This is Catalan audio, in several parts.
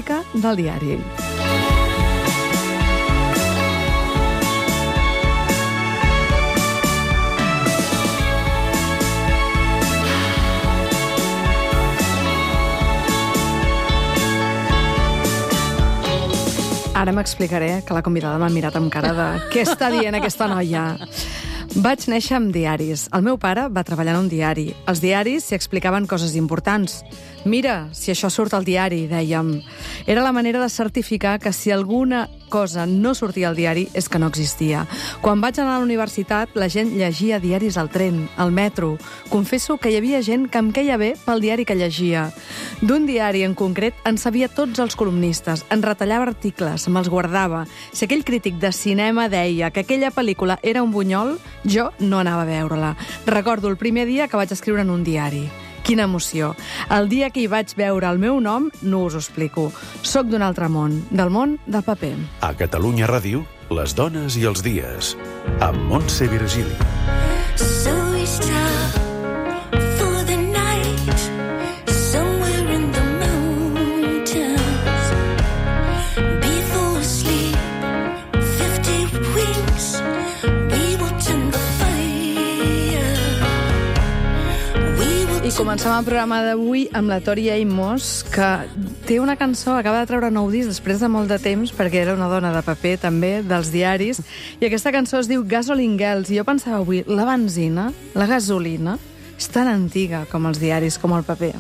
crònica del diari. Ara m'explicaré, que la convidada m'ha mirat amb cara de què està dient aquesta noia. Vaig néixer amb diaris. El meu pare va treballar en un diari. Els diaris s'hi explicaven coses importants. Mira, si això surt al diari, dèiem. Era la manera de certificar que si alguna cosa no sortia al diari és que no existia. Quan vaig anar a la universitat, la gent llegia diaris al tren, al metro. Confesso que hi havia gent que em queia bé pel diari que llegia. D'un diari en concret en sabia tots els columnistes, en retallava articles, me'ls guardava. Si aquell crític de cinema deia que aquella pel·lícula era un bunyol, jo no anava a veure-la. Recordo el primer dia que vaig escriure en un diari. Quina emoció. El dia que hi vaig veure el meu nom, no us ho explico. Soc d'un altre món, del món del paper. A Catalunya Ràdio, les dones i els dies, amb Montse Virgili. So we stop for the night, somewhere in the mountains. Before sleep, 50 weeks, we will tend the fire. I comencem el programa d'avui amb la Tori Amos, que té una cançó, acaba de treure nou disc després de molt de temps, perquè era una dona de paper, també, dels diaris, i aquesta cançó es diu Gasoline Girls, i jo pensava avui, la benzina, la gasolina, és tan antiga com els diaris, com el paper.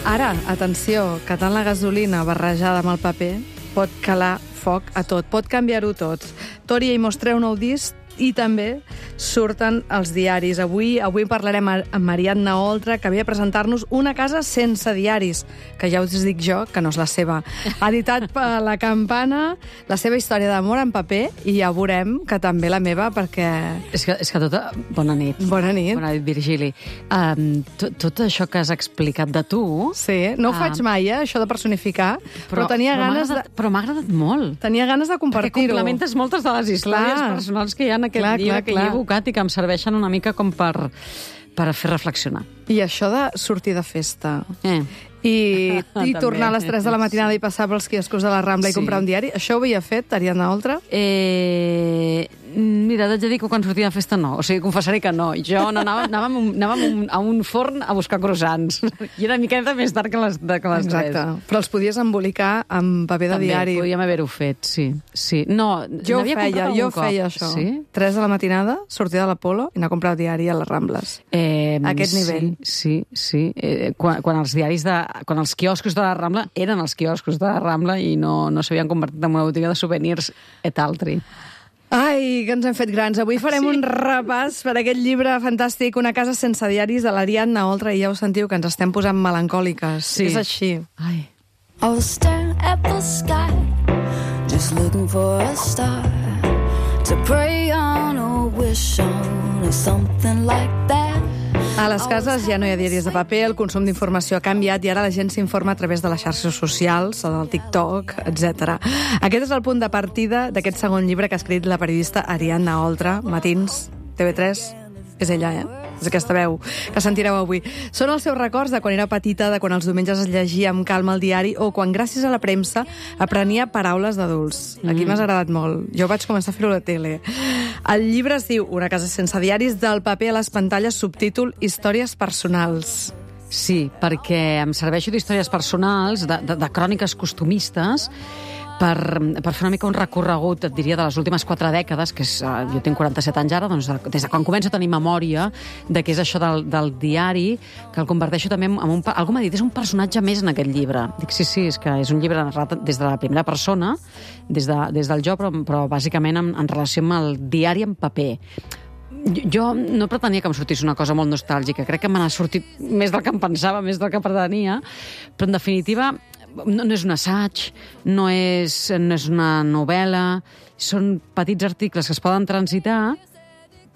Ara, atenció, que tant la gasolina barrejada amb el paper pot calar foc a tot, pot canviar-ho tot. Tori Amos treu nou disc, i també surten els diaris. Avui parlarem amb Ariadna Oltra, que ve a presentar-nos Una casa sense diaris, que ja us dic jo que no és la seva. Ha editat per La Campana la seva història d'amor en paper, i ja veurem que també la meva, perquè... És que tota... Bona nit. Bona nit. Bona nit, Virgili. Tot això que has explicat de tu... Sí, no ho faig mai, això de personificar, però tenia ganes de... Però m'ha agradat molt. Tenia ganes de compartir-ho. Perquè complementes moltes de les històries personals que hi ha en aquest llibre que hi he evocat i que em serveixen una mica com per fer reflexionar. I això de sortir de festa i tornar a les 3 de la matinada i passar pels quioscos de la Rambla i comprar un diari, això ho havia fet, Ariadna Oltra? Mira, t'haig de dir que quan sortia de festa no. O sigui, confessaré que no. Jo anàvem a un forn a buscar croissants. I era una miqueta més tard que les 3. Exacte. Però els podies embolicar amb paper de diari. També, podíem haver-ho fet, sí. No, jo feia això. Sí? 3 de la matinada, sortia de l'Apolo i anar a comprar el diari a les Rambles. A aquest nivell. Sí. Quan els quioscos de la Rambla eren els quioscos de la Rambla i no s'havien convertit en una botiga de souvenirs et altri. Ai, que ens hem fet grans. Avui farem un repàs per aquest llibre fantàstic, Una casa sense diaris, de l'Ariadna Oltra, i ja ho sentiu, que ens estem posant melancòliques. Sí. És així. Ai. I was staring at the sky, just looking for a star to pray on or wish on or something like that. A les cases ja no hi ha diaris de paper, el consum d'informació ha canviat i ara la gent s'informa a través de les xarxes socials, del TikTok, etc. Aquest és el punt de partida d'aquest segon llibre que ha escrit la periodista Ariadna Oltra, Matins, TV3. És ella, És aquesta veu que sentireu avui. Són els seus records de quan era petita, de quan els diumenges es llegia amb calma el diari o quan, gràcies a la premsa, aprenia paraules d'adults. Aquí m'ha agradat molt. Jo vaig començar a fer-ho a la tele. El llibre es diu Una casa sense diaris, del paper a les pantalles, subtítol Històries personals. Sí, perquè em serveixo d'històries personals, de cròniques costumistes, per fer una mica un recorregut, et diria, de les últimes 4 dècades, que és, jo tinc 47 anys ara, doncs des de quan començo a tenir memòria de què és això del diari, que el converteixo també en algú m'ha dit, és un personatge més en aquest llibre. Dic, sí, és que és un llibre narrat des de la primera persona, des del jo, però bàsicament en relació amb el diari en paper. Jo no pretenia que em sortís una cosa molt nostàlgica, crec que me n'ha sortit més del que em pensava, més del que pretenia, però en definitiva no és un assaig, no és una novel·la, són petits articles que es poden transitar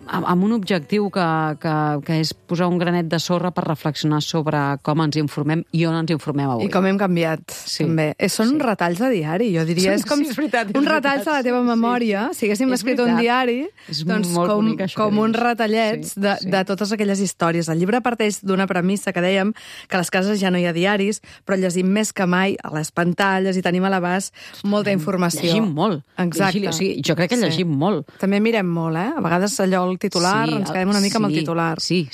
amb un objectiu que és posar un granet de sorra per reflexionar sobre com ens informem i on ens informem avui. I com hem canviat, també. Són retalls de diari, jo diria. És com és veritat, un retall de la teva memòria. Si haguéssim escrit un diari, doncs com uns retallets de totes aquelles històries. El llibre parteix d'una premissa que dèiem que a les cases ja no hi ha diaris, però llegim més que mai a les pantalles i tenim a l'abast molta informació. Llegim molt. Exacte. Jo crec que llegim molt. També mirem molt, A vegades allò, el titular, ens quedem una mica amb el titular. Sí,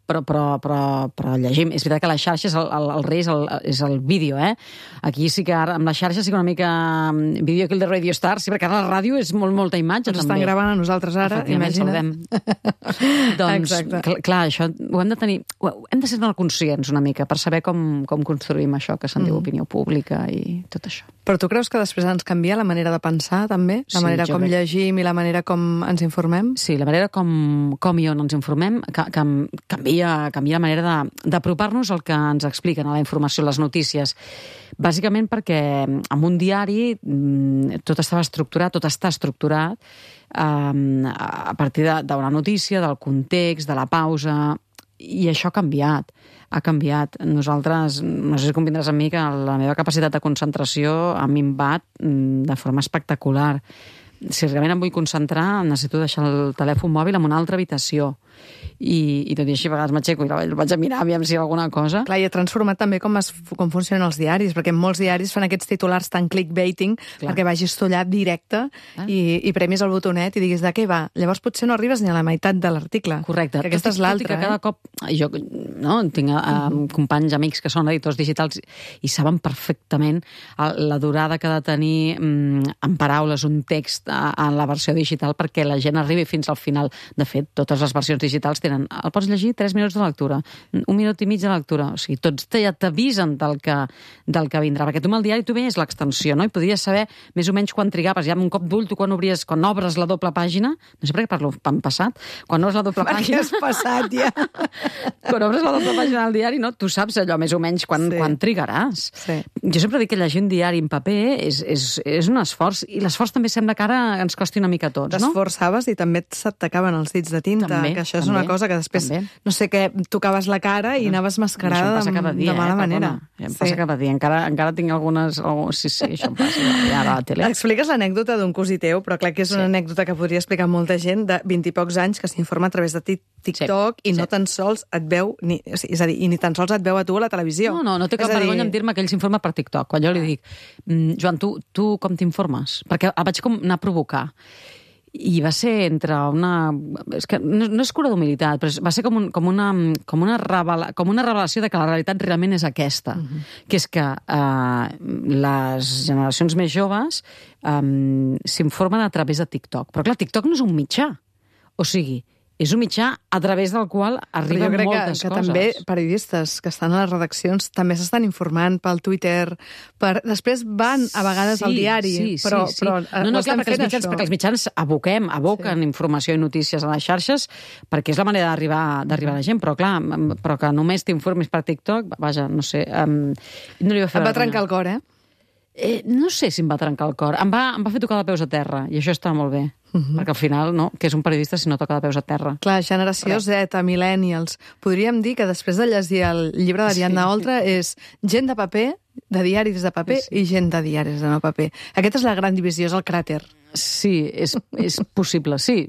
però llegim. És veritat que les xarxes, el rei és el vídeo, Aquí sí que ara, amb les xarxes sí que una mica vídeo aquí el de Radio Star, sí, perquè ara la ràdio és molta imatge, ens també. Estan gravant a nosaltres ara, imagina't. Doncs, clar, això ho hem de tenir... Hem de ser molt conscients una mica per saber com construïm això que se'n diu opinió pública i tot això. Però tu creus que després ens canvia la manera de pensar, també? La manera com llegim i la manera com ens informem? Sí, la manera com i on ens informem canvia la manera d'apropar-nos al que ens expliquen a la informació, les notícies. Bàsicament perquè en un diari tot està estructurat a partir d'una notícia, del context, de la pausa, i això ha canviat. Nosaltres, no sé si convindràs amb mi, que la meva capacitat de concentració a mi em bat de forma espectacular. Si realment em vull concentrar, necessito deixar el telèfon mòbil en una altra habitació. I tot i així, a vegades m'aixeco i el vaig a mirar, aviam si hi ha alguna cosa. Clar, i ha transformat també com funcionen els diaris, perquè molts diaris fan aquests titulars tan clickbaiting perquè vagis tu allà directe i premis el botonet i diguis de què va. Llavors potser no arribes ni a la meitat de l'article. Correcte. Que aquesta és l'altra. Cada cop... Jo tinc companys, amics que són editors digitals i saben perfectament la durada que ha de tenir en paraules un text en la versió digital perquè la gent arribi fins al final. De fet, totes les versions digitals el pots llegir 3 minuts de lectura, 1 minut i mig de lectura, o sigui, tots ja t'avisen del que vindrà, perquè tu amb el diari tu veies l'extensió, no? I podries saber més o menys quan trigaves, ja amb un cop d'ull tu quan obres la doble pàgina, no sé per què parlo en passat, quan obres la doble pàgina... Perquè és passat, ja. Quan obres la doble pàgina del diari, no? Tu saps allò més o menys quan trigaràs. Sí. Jo sempre dic que llegir un diari en paper és un esforç, i l'esforç també sembla que ara ens costi una mica a tots, no? T'esforçaves i també s'atacaven els dits de tinta, que això és una cosa que després, no sé què, tocaves la cara i anaves mascarada de mala manera. Em passa cada dia, encara tinc algunes... Sí, això em passa, ja a la tele. Expliques l'anècdota d'un cosí teu, però clar que és una anècdota que podria explicar molta gent de 20 i pocs anys que s'informa a través de TikTok i no tan sols et veu, és a dir, i ni tan sols et veu a tu a la televisió. No té cap vergonya en dir-me que ell s'informa per TikTok. Quan jo li dic, Joan, tu com t'informes? Perquè el vaig com anar a provocar. I va ser entre una... És que no és cura d'humilitat, però va ser com una revelació de que la realitat realment és aquesta, que és que les generacions més joves s'informen a través de TikTok. Però clar, TikTok no és un mitjà. O sigui, és un mitjà a través del qual arriben moltes coses. Jo crec que també periodistes que estan a les redaccions també s'estan informant pel Twitter, després van a vegades al diari, però no, clar, perquè els mitjans aboquen informació i notícies a les xarxes perquè és la manera d'arribar a la gent, però clar, però que només t'informis per TikTok, vaja, no sé, no li va fer... Em va trencar el cor, no sé si em va trencar el cor. Em va fer tocar de peus a terra, i això està molt bé. Perquè al final, no, que és un periodista si no toca de peus a terra. Clar, generació Z, millennials. Podríem dir que després de llegir el llibre d'Ariadna Oltra és gent de paper, de diaris de paper, i gent de diaris de no paper. Aquesta és la gran divisió, és el cràter. Sí, és possible, sí.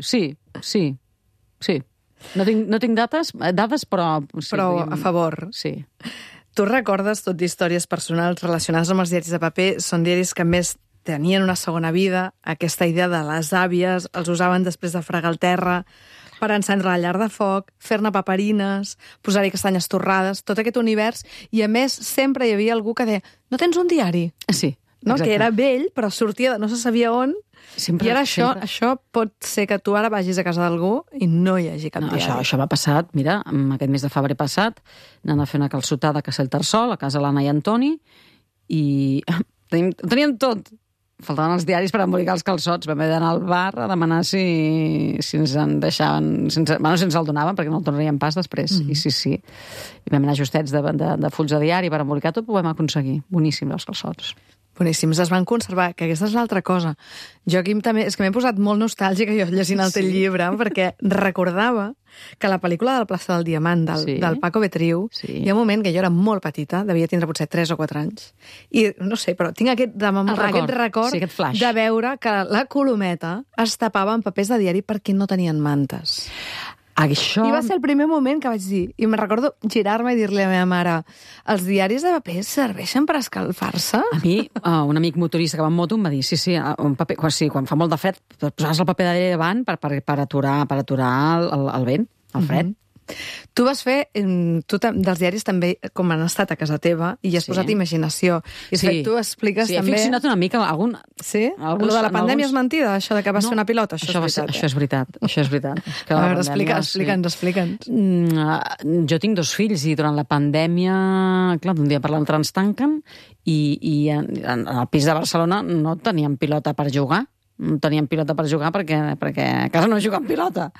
No tinc dades, però... Però a favor. Sí. Tu recordes tot d'històries personals relacionades amb els diaris de paper? Són diaris que més tenien una segona vida, aquesta idea de les àvies, els usaven després de fregar el terra, per encendre la llar de foc, fer-ne paperines, posar-hi castanyes torrades, tot aquest univers, i a més sempre hi havia algú que deia, no tens un diari? Sí, no? Que era vell, però sortia de no se sabia on, i ara això pot ser que tu ara vagis a casa d'algú i no hi hagi cap diari. Això m'ha passat, mira, aquest mes de febrer passat, anant a fer una calçotada a Castellterçol, a casa l'Anna i Antoni, i teníem tot. Faltaven els diaris per embolicar els calçots. Vam haver d'anar al bar a demanar si ens en deixaven... si ens el donaven, perquè no el tornaríem pas després. I sí. I vam anar justets de fulls de diari per embolicar tot, ho vam aconseguir. Boníssim, els calçots. Boníssims, es van conservar, que aquesta és l'altra cosa. Jo aquí també, és que m'he posat molt nostàlgica jo llegint el teu llibre, perquè recordava que la pel·lícula del Plaça del Diamant, del Paco Betriu, hi ha un moment que jo era molt petita, devia tindre potser 3 o 4 anys, i no sé, però tinc aquest record de veure que la Colometa es tapava amb papers de diari perquè no tenien mantes. Això... I va ser el primer moment que vaig dir, i me'n recordo girar-me i dir-li a la meva mare, els diaris de paper serveixen per escalfar-se? A mi, un amic motorista que va en moto em va dir, un paper, quan fa molt de fred, posaves el paper de diari davant per aturar el vent, el fred. Tu vas fer, dels diaris també, com han estat a casa teva, i has posat imaginació. I tu expliques també... Sí, he ficcionat una mica algun... Sí? Lo de la pandèmia és mentida, això de que vas fer una pilota? Això és veritat. A veure, explica'ns. Jo tinc 2 fills i durant la pandèmia, clar, d'un dia per l'altre ens tanquen i en el pis de Barcelona no teníem pilota per jugar. No teníem pilota per jugar perquè a casa no juguen pilota.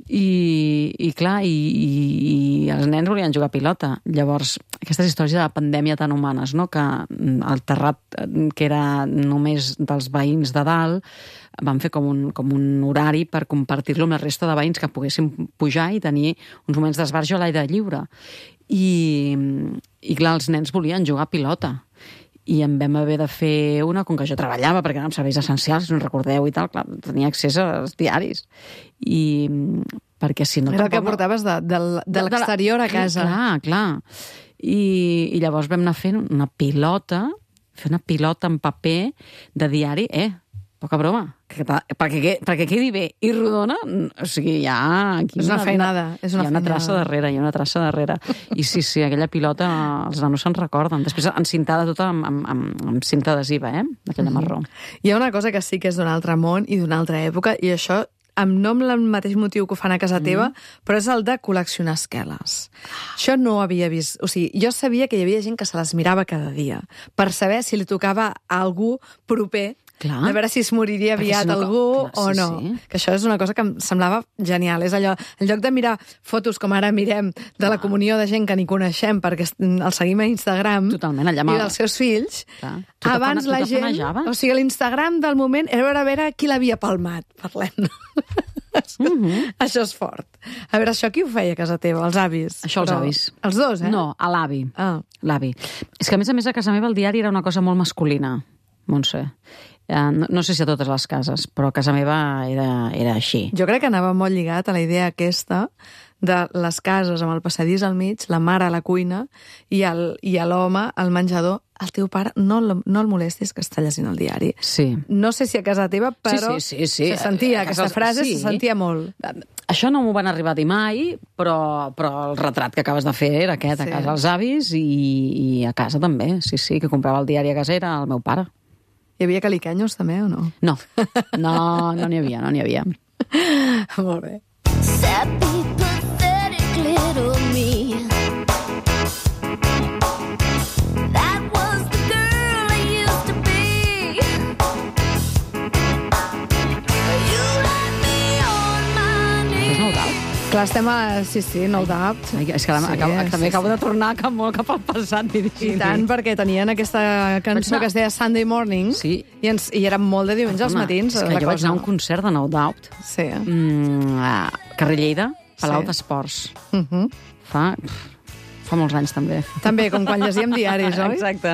I clar, i els nens volien jugar a pilota. Llavors, aquestes històries de la pandèmia tan humanes, no? Que el terrat, que era només dels veïns de dalt, van fer com un horari per compartir-lo amb la resta de veïns que poguessin pujar i tenir uns moments d'esbarjo a l'aire lliure. I clar, els nens volien jugar a pilota. I em vam haver de fer una, com que jo treballava, perquè eren serveis essencials, si no recordeu i tal, clar, tenia accés als diaris. I perquè si no... Era el que portaves de l'exterior a casa. Clar. I llavors vam anar fent una pilota en paper de diari, poca broma, perquè quedi bé i rodona, o sigui, hi ha... És una feinada. Hi ha una traça darrere. I sí, aquella pilota, els nanos se'n recorden. Després encintada tota amb cinta adhesiva, aquella marró. Hi ha una cosa que sí que és d'un altre món i d'una altra època, i això no amb el mateix motiu que ho fan a casa teva, però és el de col·leccionar esqueles. Això no ho havia vist. O sigui, jo sabia que hi havia gent que se les mirava cada dia, per saber si li tocava a algú proper, a veure si es moriria aviat algú o no. Que això és una cosa que em semblava genial. És allò, en lloc de mirar fotos com ara mirem de la comunió de gent que ni coneixem perquè el seguim a Instagram i dels seus fills, abans la gent... O sigui, l'Instagram del moment era a veure qui l'havia palmat. Parlem. Això és fort. A veure, això qui ho feia a casa teva? Els avis? Això els avis. Els dos, No, a l'avi. L'avi. És que, a més, a casa meva el diari era una cosa molt masculina, Montse. No sé si a totes les cases, però a casa meva era així. Jo crec que anava molt lligat a la idea aquesta de les cases amb el passadís al mig, la mare a la cuina i l'home al menjador. El teu pare no el molestis que està llegint el diari. Sí. No sé si a casa teva, però sí. se sentia, aquesta frase se sentia molt. Això no m'ho van arribar a dir mai, però el retrat que acabes de fer era aquest, a casa els avis i a casa també. Sí, que comprava el diari a casa era el meu pare. Hi havia caliquenyos també o no? No n'hi havia. Molt bé. Sappy, pathetic little me. That was the girl I used to be. You had me on my knees. És No Doubt? Clar, estem a... Sí, No Doubt. És que també acabo de tornar molt cap al passat dirigint. I tant, perquè tenien aquesta cançó que es deia Sunday Morning i era molt de diumenge als matins. És que jo vaig anar a un concert de No Doubt. Sí. A Carrer Lleida, Palau d'Esports. Fa molts anys, també. També, com quan llegíem diaris, oi? Exacte.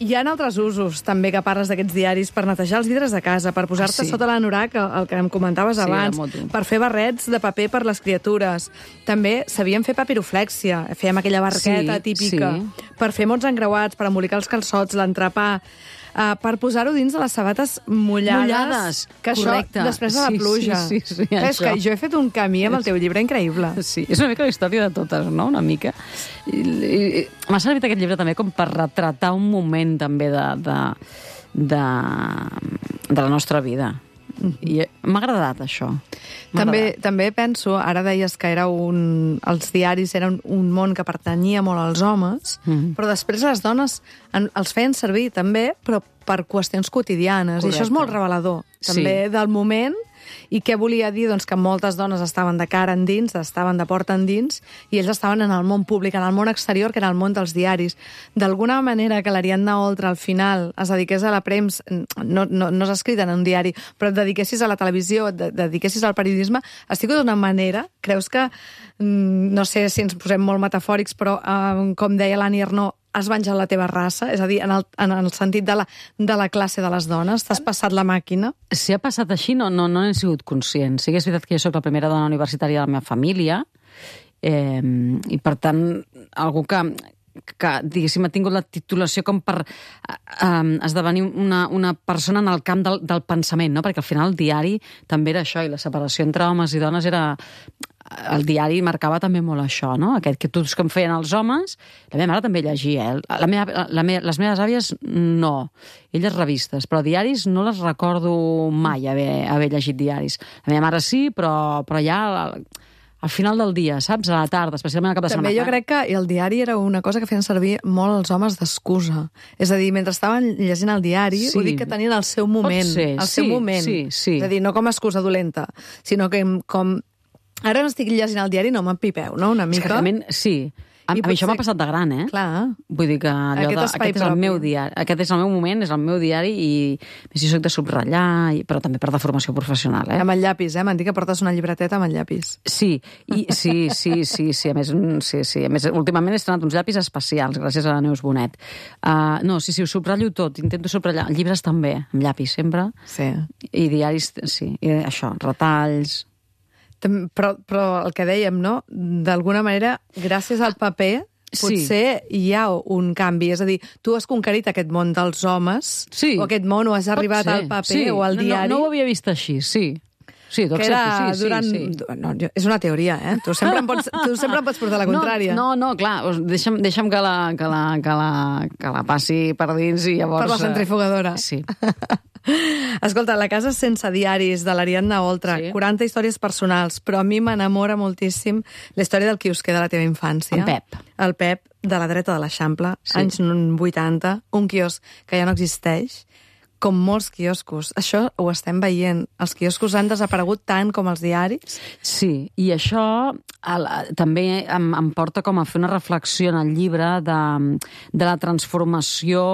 Hi ha altres usos, també, que parles d'aquests diaris per netejar els vidres de casa, per posar-te sota l'anorac, el que em comentaves abans, per fer barrets de paper per les criatures. També sabíem fer papiroflèxia, fèiem aquella barqueta típica, per fer mots encreuats, per embolicar els calçots, l'entrepà, per posar-ho dins de les sabates mullades. Que correcte. Això, després de la pluja. Sí, és que jo he fet un camí amb el teu llibre increïble. Sí, és una mica la història de totes, no? Una mica. M'ha servit aquest llibre també com per retratar un moment també de la nostra vida. I m'ha agradat això. També penso, ara deies que els diaris eren un món que pertanyia molt als homes, però després les dones els feien servir també, però per qüestions quotidianes. Correcte. I això és molt revelador, també, del moment I què volia dir? Doncs que moltes dones estaven de cara endins, estaven de porta endins, i ells estaven en el món públic, en el món exterior, que era el món dels diaris. D'alguna manera que l'Ariadna Oltra al final es dediqués a la premsa, no s'ha escrit en un diari, però et dediquessis a la televisió, et dediquessis al periodisme, estic d'una manera, creus que, no sé si ens posem molt metafòrics, però com deia l'Annie Ernaux, has venjat la teva raça? És a dir, en el sentit de la classe de les dones? T'has passat la màquina? Si ha passat així, no n'he sigut conscient. Sí que és veritat que jo soc la primera dona universitària de la meva família, i per tant, algú que diguéssim, ha tingut la titulació com per esdevenir una persona en el camp del pensament, no? Perquè al final el diari també era això, i la separació entre homes i dones era... El diari marcava també molt això, no? Aquest que tots que em feien els homes, la meva mare també llegia, les meves àvies no, elles revistes, però diaris no les recordo mai haver llegit diaris. La meva mare sí, però ja... al final del dia, saps? A la tarda, especialment al cap de setmana. També jo crec que el diari era una cosa que feien servir molt els homes d'excusa. És a dir, mentre estaven llegint el diari, ho dic que tenien el seu moment. Seu moment. Sí. És a dir, no com a excusa dolenta, sinó que com... Ara no estic llegint el diari, no m'empipeu, no? Una mica. Exactament, sí. A mi això m'ha passat de gran, eh? Clar. Vull dir que aquest és el meu diari, aquest és el meu moment, és el meu diari, i si soc de subratllar, però també per de formació professional, eh? Amb el llapis, eh? M'han dit que portes una llibreteta amb el llapis. Sí, a més, últimament he estrenat uns llapis especials, gràcies a la Neus Bonet. No, sí, ho subratllo tot, intento subratllar. Llibres també, amb llapis, sempre. Sí. I diaris, sí, i això, retalls... Però el que dèiem, no? D'alguna manera, gràcies al paper, potser hi ha un canvi. És a dir, tu has conquerit aquest món dels homes, o aquest món, o has arribat al paper o al diari. No ho havia vist així, sí. Sí, t'ho accepto, sí. No, és una teoria, eh? Tu sempre em pots portar la contrària. No, clar, deixa'm que la passi per dins i llavors... Per la centrifugadora. Sí. Escolta, La casa sense diaris, de l'Ariadna Oltra, 40 històries personals, però a mi m'enamora moltíssim la història del quiosquer de la teva infància. En Pep. El Pep, de la dreta de l'Eixample, anys 80, un quiosc que ja no existeix, com molts quioscos. Això ho estem veient. Els quioscos han desaparegut tant com els diaris. Sí, i això també em porta com a fer una reflexió en el llibre de la transformació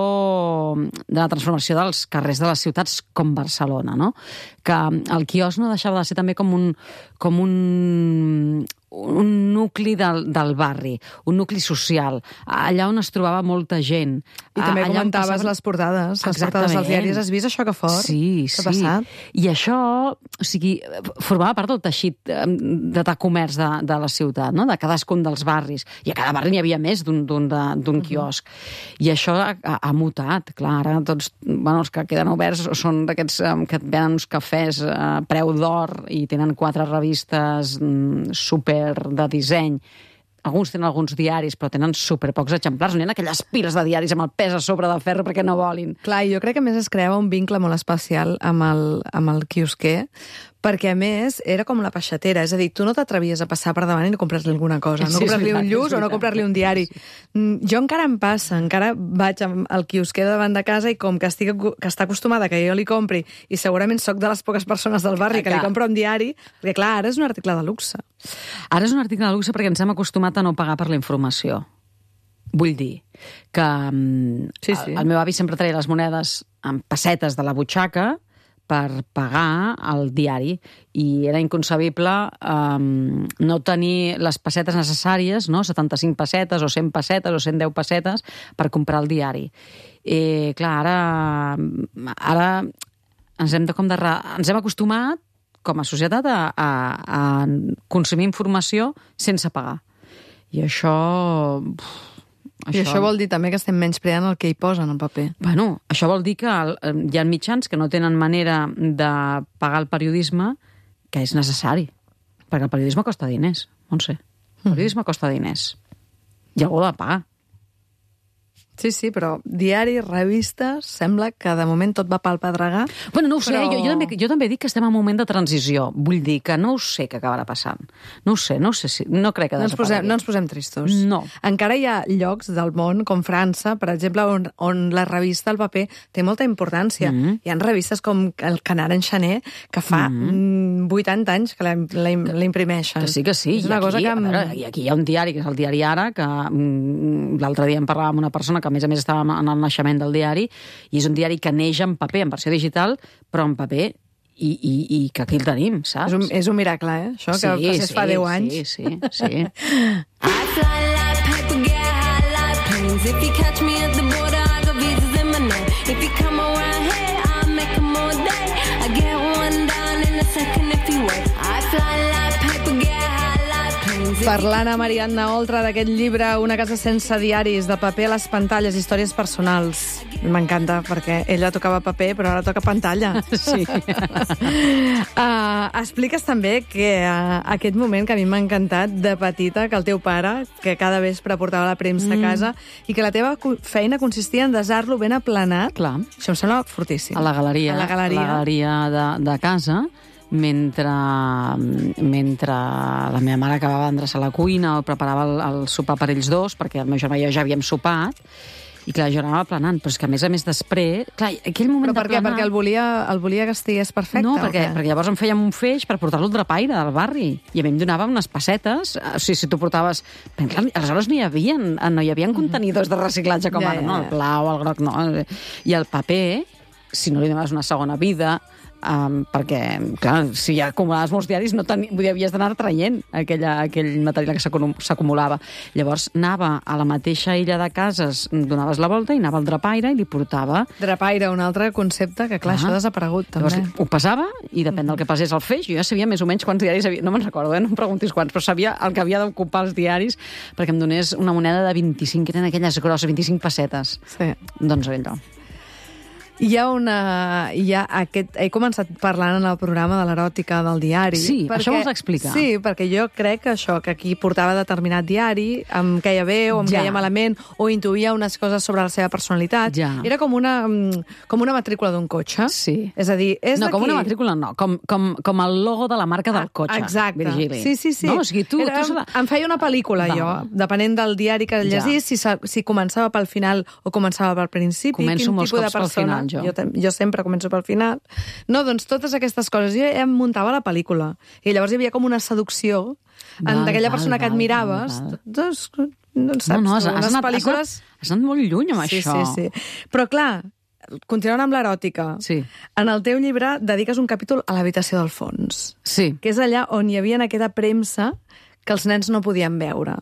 dels carrers de les ciutats com Barcelona, no? Que el quiosc no deixava de ser també com un nucli del barri, un nucli social, allà on es trobava molta gent. I també comentaves les portades dels diaris. Has vist això que fort? Sí. Què ha passat? I això, o sigui, formava part del teixit de comerç de la ciutat, no? De cadascun dels barris. I a cada barri n'hi havia més d'un quiosc. I això ha mutat, clar, ara tots, els que queden oberts són d'aquests que et venen uns cafès a preu d'or i tenen 4 revistes super de disseny. Alguns tenen alguns diaris, però tenen superpocs exemplars. No hi ha aquelles piles de diaris amb el pes a sobre de ferro perquè no volin. Clar, jo crec que a més es creava un vincle molt especial amb el quiosquer, perquè a més era com la peixatera, és a dir, tu no t'atrevies a passar per davant i no comprar-li alguna cosa, no comprar-li un lluç o no comprar-li un diari. Jo encara em passa, encara vaig al quiosquer davant de casa i com que està acostumada que jo li compri, i segurament sóc de les poques persones del barri que li compra un diari, perquè clar, ara és un article de luxe. Ara és un article de luxe perquè ens hem acostumat a no pagar per la informació. Vull dir que el meu avi sempre treia les monedes amb pessetes de la butxaca per pagar el diari, i era inconcebible no tenir les pessetes necessàries, no? 75 pessetes o 100 pessetes o 110 pessetes per comprar el diari. Clar, ara ens hem acostumat com a societat a consumir informació sense pagar. I això... I això vol dir també que estem menyspreant el que hi posa en el paper. Bueno, això vol dir que hi ha mitjans que no tenen manera de pagar el periodisme, que és necessari. Perquè el periodisme costa diners, Montse. El periodisme costa diners. I algú l'ha de pagar. Sí, sí, però diaris, revistes, sembla que de moment tot va pel pedregar. Bueno, no ho sé, però... jo també dic que estem en un moment de transició. Vull dir que no ho sé què acabarà passant. No ho sé si... No crec que no ens posem tristos. No. Encara hi ha llocs del món, com França, per exemple, on la revista, el paper, té molta importància. Hi ha revistes com el Canard Enxaner, que fa 80 anys que la imprimeixen. Que sí. És una cosa que... I aquí hi ha un diari, que és el Diari Ara, que l'altre dia em parlava amb una persona que a més estava en el naixement del diari, i és un diari que neix en paper, en versió digital, però en paper, i que aquí el tenim, saps? És un miracle, això, que passés fa 10 anys. Sí. I fly like paper, get high like planes. If you catch me at the border, I got visas in my name. If you come around here, I'll make them all day. I get one down in a second if you wait. I fly like paper, get high like planes. Parlant a Marianna Oltra d'aquest llibre Una casa sense diaris, de paper a les pantalles, històries personals. M'encanta, perquè ella tocava paper, però ara toca pantalla. Sí. Expliques també que aquest moment que a mi m'ha encantat de petita, que el teu pare, que cada vespre portava la premsa a casa, i que la teva feina consistia en desar-lo ben aplanat. Clar. Això em sembla fortíssim. A la galeria de casa, mentre la meva mare acabava d'endreçar la cuina o preparava el sopar per ells dos, perquè el meu germà i jo ja havíem sopat, i clar, jo anava aplanant, però és que a més després... Clar, aquell moment però per què? Perquè el volia que estigués perfecte? No, perquè llavors em fèiem un feix per portar-lo al drapaire del barri, i a mi em donava unes pessetes, o sigui, si tu portaves... Però, clar, aleshores no hi havia contenidors de reciclatge com ara, no? El blau, el groc, no. I el paper, si no li donaves una segona vida... perquè, clar, si ja acumulaves molts diaris havies d'anar traient aquell material que s'acumulava. Llavors anava a la mateixa illa de cases, donaves la volta i anava al drapaire i li portava... Drapaire, un altre concepte que, clar, això ha desaparegut, també. Llavors ho pesava i depèn del que pesés el feix. Jo ja sabia més o menys quants diaris havia... No me'n recordo, no em preguntis quants, però sabia el que havia d'ocupar els diaris perquè em donés una moneda de 25, que eren aquelles grosses, 25 pessetes. Sí. Doncs allò. He començat parlant en el programa de l'eròtica del diari. Sí, això vols explicar. Sí, perquè jo crec que aquí portava determinat diari, em queia bé o em queia malament, o intuïa unes coses sobre la seva personalitat. Ja. Era com una matrícula d'un cotxe. Sí. És a dir, és no, com una matrícula no, com el logo de la marca del cotxe. Exacte. Virgili. Sí. No, o sigui, em feia una pel·lícula, jo, depenent del diari que llegís, si començava pel final o començava pel principi. Començo molts cops pel final. Jo sempre començo pel final. No, doncs totes aquestes coses. Jo em muntava la pel·lícula. I llavors hi havia com una seducció d'aquella persona que admiraves. Doncs, no saps, unes pel·lícules... Has anat molt lluny amb això. Sí. Però clar, continuant amb l'eròtica, en el teu llibre dediques un capítol a l'habitació del fons. Sí. Que és allà on hi havia aquesta premsa que els nens no podien veure.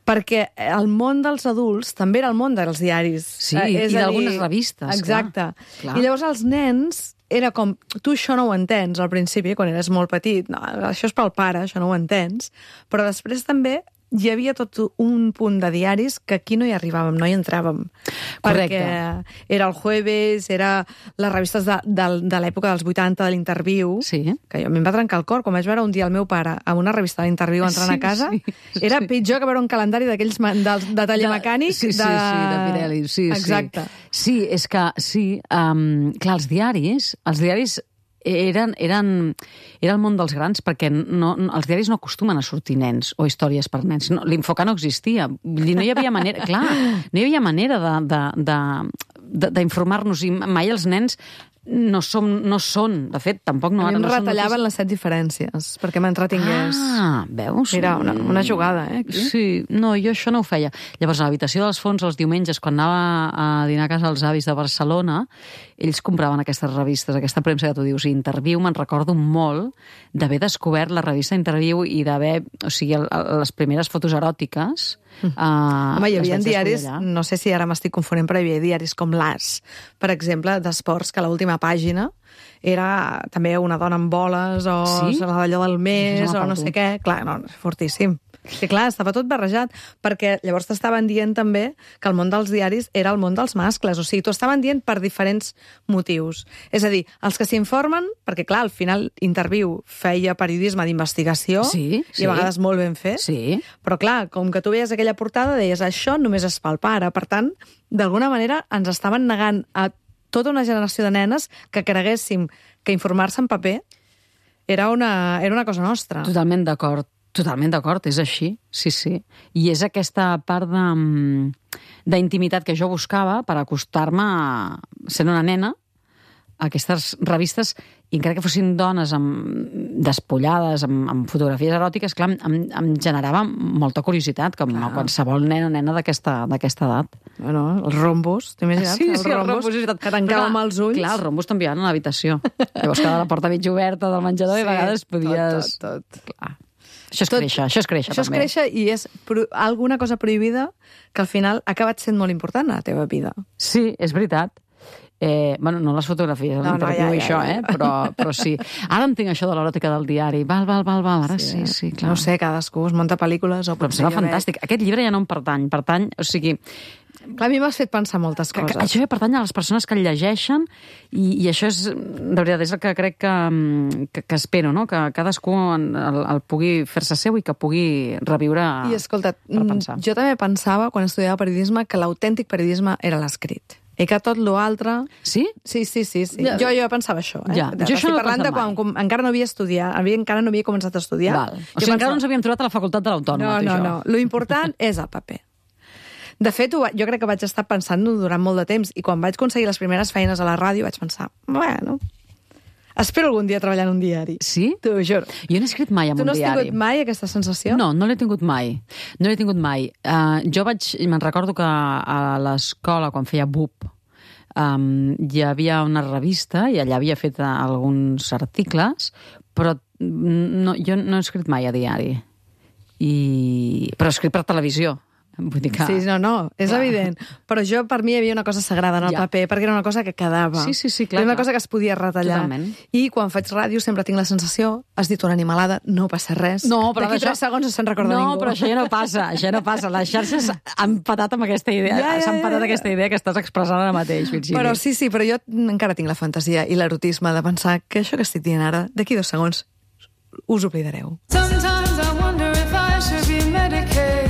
Perquè el món dels adults també era el món dels diaris. Sí, i d'algunes revistes. Exacte. Clar. I llavors els nens era com, tu això no ho entens al principi, quan eres molt petit, no, això és pel pare, això no ho entens, però després també hi havia tot un punt de diaris que aquí no hi arribàvem, no hi entràvem. Correcte. Perquè era el Jueves, era les revistes de l'època dels 80, de l'Interviu, que a mi em va trencar el cor, quan vaig veure un dia el meu pare amb una revista de l'Interviu entrant a casa, era pitjor que veure un calendari d'aquells de taller mecànic. Sí, de Pirelli. Exacte. Sí, és que, clar, els diaris eren el món dels grans, perquè els diaris no acostumen a sortir nens o històries per nens. L'infocar no existia. Vull dir, no hi havia manera... Clar, no hi havia manera d'informar-nos, i mai els nens no són, de fet, tampoc no ara. A mi em retallaven les 7 diferències, perquè m'entretingués. Veus? Mira, una jugada, aquí. Sí, no, jo això no ho feia. Llavors, a l'habitació dels fons, els diumenges, quan anava a dinar a casa els avis de Barcelona, ells compraven aquestes revistes, aquesta premsa que tu dius, i Interviu, me'n recordo molt d'haver descobert la revista Interviu i d'haver, o sigui, les primeres fotos eròtiques. Home, hi havia diaris, no sé si ara m'estic confonent, però hi havia diaris com l'As, per exemple, d'esports, que l'última l'última pàgina era també una dona amb boles o d'allò del mes o no sé què. Clar, no, és fortíssim. Sí, clar, estava tot barrejat, perquè llavors t'estaven dient també que el món dels diaris era el món dels mascles, o sigui, t'ho estaven dient per diferents motius. És a dir, els que s'informen, perquè clar, al final Interviu feia periodisme d'investigació, i a vegades molt ben fet, però clar, com que tu veies aquella portada, deies, això només es fa al pare. Per tant, d'alguna manera ens estaven negant a tota una generació de nenes que creguéssim que informar-se en paper era una cosa nostra. Totalment d'acord, és així, sí. I és aquesta part d'intimitat que jo buscava per acostar-me, sent una nena, a aquestes revistes, i encara que fossin dones despullades, amb fotografies eròtiques, clar, em generava molta curiositat, com a qualsevol nen o nena d'aquesta edat. Bueno, els rombos, t'imagines? Sí, el rombos. Que tancàvem els ulls. Clar, els rombos t'enviaven a l'habitació. Llavors quedava la porta mig oberta del menjador i a vegades podies... Tot. Clar. Això és créixer, també. Això és créixer i és alguna cosa prohibida que al final ha acabat sent molt important a la teva vida. Sí, és veritat. Bueno, no les fotografies, però sí. Ara entenc això de l'eròtica del diari. Val, ara sí, clar. No sé, cadascú es munta pel·lícules o... Però em sembla fantàstic. Aquest llibre ja no em pertany, o sigui... Clar, a mi m'has fet pensar moltes coses. Això ja pertany a les persones que el llegeixen i això és, de veritat, és el que crec que espero, no? Que cadascú el pugui fer-se seu i que pugui reviure I escolta, per pensar. Jo també pensava, quan estudiava periodisme, que l'autèntic periodisme era l'escrit. I que tot l'altre... Sí? Sí. Ja. Jo pensava això. Ja. Jo això no ho he pensat mai. Quan encara no havia estudiat, encara no havia començat a estudiar. Val. O sigui, encara no ens havíem trobat a la facultat de l'Autònoma. No. Lo important és el paper. De fet, jo crec que vaig estar pensant-ho durant molt de temps i quan vaig aconseguir les primeres feines a la ràdio vaig pensar, bueno, espero algun dia treballar en un diari. Sí? T'ho juro. Jo no he escrit mai en un diari. Tu no has tingut mai aquesta sensació? No l'he tingut mai. Me'n recordo que a l'escola, quan feia BUP, hi havia una revista i allà havia fet alguns articles, però jo no he escrit mai a diari. Però he escrit per televisió. Vull dir que... Sí, no, és evident. Però per mi hi havia una cosa sagrada en el paper, perquè era una cosa que quedava. Sí, clar. Era una cosa que es podia retallar. Totalment. I quan faig ràdio sempre tinc la sensació, has dit una animalada, no passa res. No, però d'aquí 3 segons no se'n recorda ningú. No, però això ja no passa. Les xarxes han patat amb aquesta idea. S'han patat aquesta idea que estàs expressant ara mateix, Virginia. Però sí, però jo encara tinc la fantasia i l'erotisme de pensar que això que estic dient ara, d'aquí 2 segons, us oblidareu. Sometimes I wonder if I should be medicated.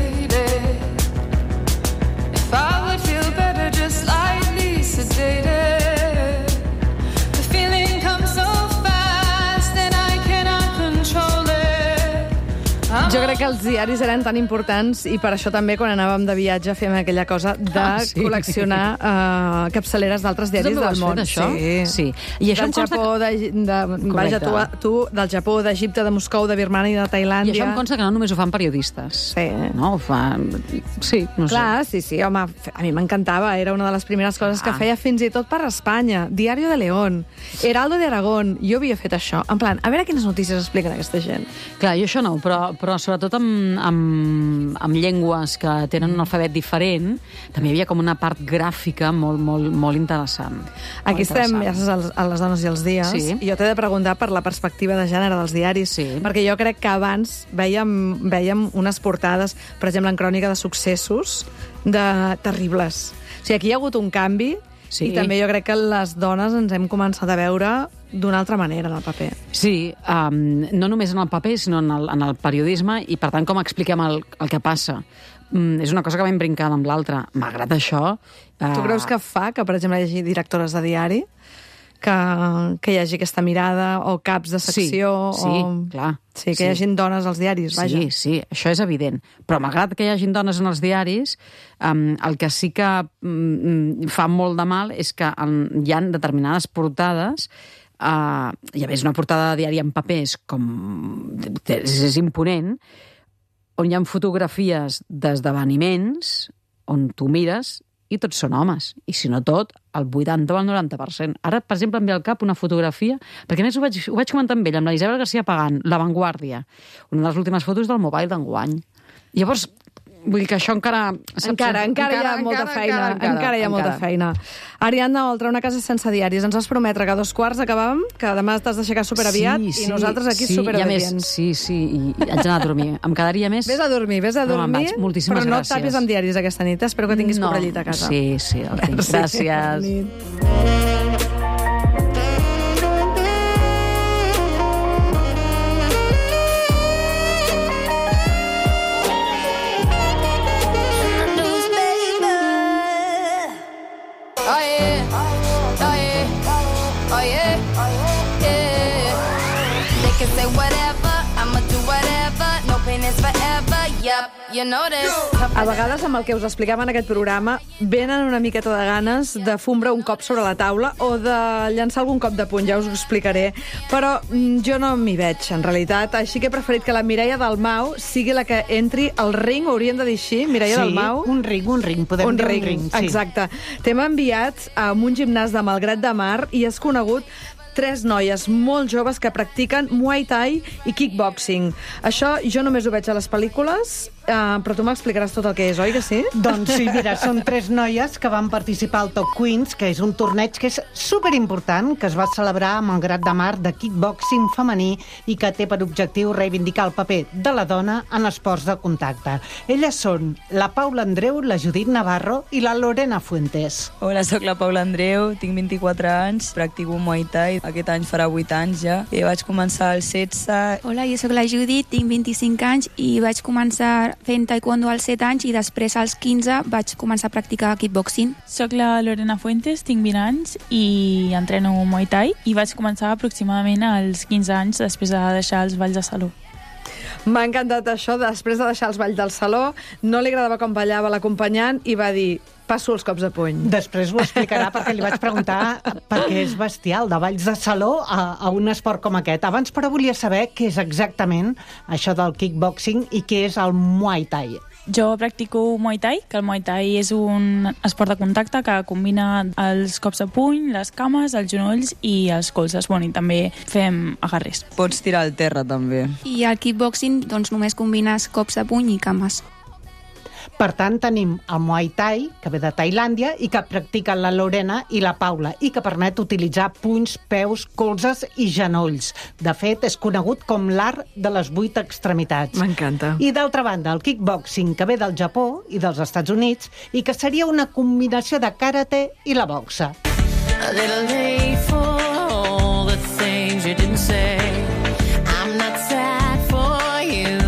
I would feel better just slightly sedated. The feeling comes so fast and I cannot control it. Jo crec que els diaris eren tan importants i per això també quan anàvem de viatge fèiem aquella cosa de col·leccionar capçaleres d'altres diaris del món. Això? Sí. I això del Japó, vaja, tu, del Japó, d'Egipte, de Moscou, de Birmania i de Tailàndia. I això em consta que no només ho fan periodistes. Sí. No, ho fan... Sí, no sé. Clar, sí, home, a mi m'encantava. Era una de les primeres coses que feia fins i tot per Espanya. Diario de León, Heraldo de Aragón. Jo havia fet això. En plan, a veure quines notícies expliquen aquesta gent. Clar, jo això no, però sobretot amb llengües que tenen un alfabet diferent, també hi havia com una part gràfica molt interessant. Aquí estem, ja saps, a les dones i els dies, i jo t'he de preguntar per la perspectiva de gènere dels diaris, perquè jo crec que abans vèiem unes portades, per exemple, en crònica de successos, terribles. O sigui, aquí hi ha hagut un canvi, i també jo crec que les dones ens hem començat a veure d'una altra manera en el paper. Sí, no només en el paper, sinó en el periodisme, i per tant com expliquem el que passa. És una cosa que vam brincar amb l'altra. Malgrat això... Tu creus que fa que, per exemple, hi hagi directores de diari que hi hagi aquesta mirada, o caps de secció... Sí, clar. Sí, que hi hagin dones als diaris, vaja. Sí, això és evident. Però malgrat que hi hagin dones en els diaris, el que sí que fa molt de mal és que hi ha determinades portades, i a més una portada de diari en papers és imponent, on hi ha fotografies d'esdeveniments on tu mires i tots són homes. I si no tot, el 80 o el 90%. Ara, per exemple, em ve al cap una fotografia, perquè a més ho vaig comentar amb ella, amb la Isabel García Pagán, La Vanguardia, una de les últimes fotos del Mobile d'enguany. Llavors, Vull dir que això encara... Encara hi ha molta feina. Encara hi ha molta feina. Ariadna Oltra, una casa sense diaris. Ens vas prometre que a 2:15 acabàvem, que demà t'has d'aixecar superaviat i nosaltres aquí superobedients. Sí, i haig d'anar a dormir. Em quedaria més... Vés a dormir, me'n vaig. Moltíssimes però no et gràcies. tapis amb diaris aquesta nit. Espero que tinguis cobrellit a casa. Sí, el tinc. Gràcies. Bona nit. They can say whatever, I'ma do whatever. No pain is forever, yep, you know this. A vegades, amb el que us explicava en aquest programa, venen una miqueta de ganes de fumbre un cop sobre la taula o de llançar algun cop de puny, ja us ho explicaré. Però jo no m'hi veig, en realitat, així que he preferit que la Mireia Dalmau sigui la que entri al ring, ho hauríem de dir així, Mireia Dalmau. Un ring, podem dir un ring. Sí. Exacte. T'hem enviat a un gimnàs de Malgrat de Mar i has conegut 3 noies molt joves que practiquen Muay Thai i kickboxing. Això jo només ho veig a les pel·lícules, però tu m'explicaràs tot el que és, oi que sí? Doncs sí, mira, són 3 noies que van participar al Top Queens, que és un torneig que és superimportant, que es va celebrar a Malgrat de Mar de kickboxing femení i que té per objectiu reivindicar el paper de la dona en esports de contacte. Elles són la Paula Andreu, la Judit Navarro i la Lorena Fuentes. Hola, sóc la Paula Andreu, tinc 24 anys, practico Muay Thai. Aquest any farà 8 anys ja. Vaig començar als 16. Hola, jo sóc la Judit, tinc 25 anys i vaig començar fent taekwondo als 7 anys i després als 15 vaig començar a practicar kickboxing. Soc la Lorena Fuentes, tinc 20 anys i entreno Muay Thai i vaig començar aproximadament als 15 anys després de deixar els balls de saló. M'ha encantat això, després de deixar els balls del saló, no li agradava com ballava l'acompanyant i va dir, passo els cops de puny. Després ho explicarà perquè li vaig preguntar perquè és bestial, de balls de saló a un esport com aquest. Abans, però, volia saber què és exactament això del kickboxing i què és el Muay Thai. Jo practico Muay Thai, que el Muay Thai és un esport de contacte que combina els cops de puny, les cames, els genolls i els colzes. Bueno, i també fem agarres. Pots tirar al terra, també. I al kickboxing doncs, només combines cops de puny i cames. Per tant, tenim el Muay Thai, que ve de Tailàndia, i que practiquen la Lorena i la Paula, i que permet utilitzar punys, peus, colzes i genolls. De fet, és conegut com l'art de les 8 extremitats. M'encanta. I d'altra banda, el kickboxing, que ve del Japó i dels Estats Units, i que seria una combinació de karate i la boxa. A little late for all the things you didn't say. I'm not sad for you.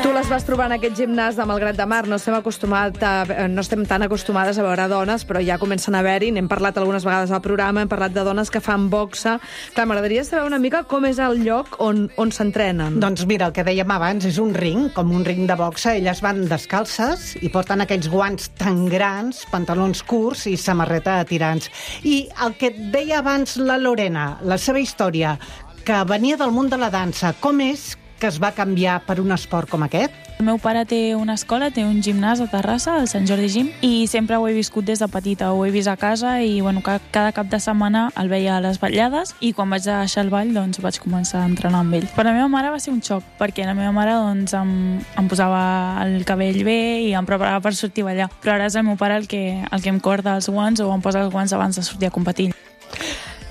Tu les vas trobar en aquest gimnàs de Malgrat de Mar. No estem tan acostumades a veure dones, però ja comencen a haver-hi. N'hem parlat algunes vegades al programa, hem parlat de dones que fan boxa. Clar, m'agradaria saber una mica com és el lloc on s'entrenen. Doncs mira, el que dèiem abans és un ring, com un ring de boxa. Elles van descalces i porten aquells guants tan grans, pantalons curts i samarreta de tirants. I el que et deia abans la Lorena, la seva història, que venia del món de la dansa, com és que es va canviar per un esport com aquest? El meu pare té una escola, té un gimnàs a Terrassa, al Sant Jordi Gym, i sempre ho he viscut des de petita, ho he vist a casa i bueno, cada cap de setmana el veia a les vetllades i quan vaig deixar el ball doncs vaig començar a entrenar amb ell. Per la meva mare va ser un xoc, perquè la meva mare doncs, em posava el cabell bé i em preparava per sortir a ballar, però ara és el meu pare el que em corda els guants o em posa els guants abans de sortir a competir.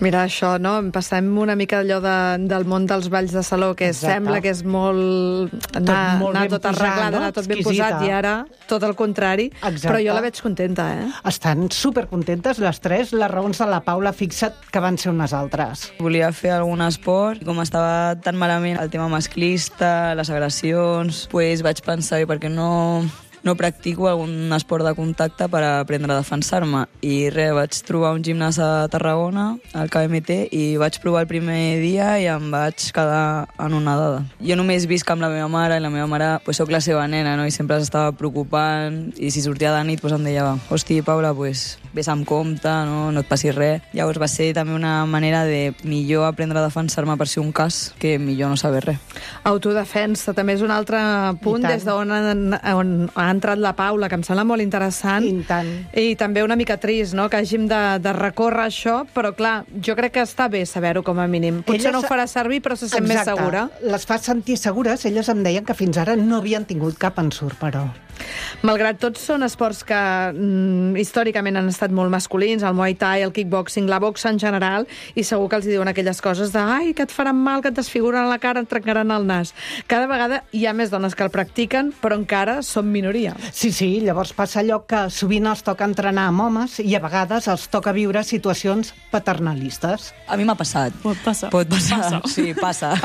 Mira, això, no? Passem una mica allò del món dels balls de saló, que sembla que és molt... anar tot arreglat, anar tot ben posat, i ara tot el contrari. Exacte. Però jo la veig contenta, eh? Estan supercontentes les 3. Les raons de la Paula, fixa't que van ser unes altres. Volia fer algun esport, i com estava tan malament el tema masclista, les agressions, doncs vaig pensar, per què no practico algun esport de contacte per aprendre a defensar-me. I vaig trobar un gimnàs a Tarragona, al KMT, i vaig provar el primer dia i em vaig quedar anonadada. Jo només visc amb la meva mare, i la meva mare, soc la seva nena, no? I sempre s'estava preocupant, i si sortia de nit em deia, hosti, Paula, vés amb compte, no et passi res. Llavors va ser també una manera de millor aprendre a defensar-me per si un cas que millor no saber res. Autodefensa també és un altre punt des d'on on ha entrat la Paula, que em sembla molt interessant. I tant. I també una mica trist, no?, que hàgim de recórrer això, però clar, jo crec que està bé saber-ho com a mínim. Potser no ho farà servir, però se sent més segura. Les fa sentir segures. Elles em deien que fins ara no havien tingut cap ensurt, però... Malgrat tot, són esports que històricament han estat molt masculins, el Muay Thai, el kickboxing, la boxa en general, i segur que els diuen aquelles coses de ai, que et faran mal, que et desfiguren la cara, et trencaran el nas. Cada vegada hi ha més dones que el practiquen, però encara són minoria. Sí, llavors passa allò que sovint els toca entrenar amb homes i a vegades els toca viure situacions paternalistes. A mi m'ha passat. Pot passar. Sí, passa.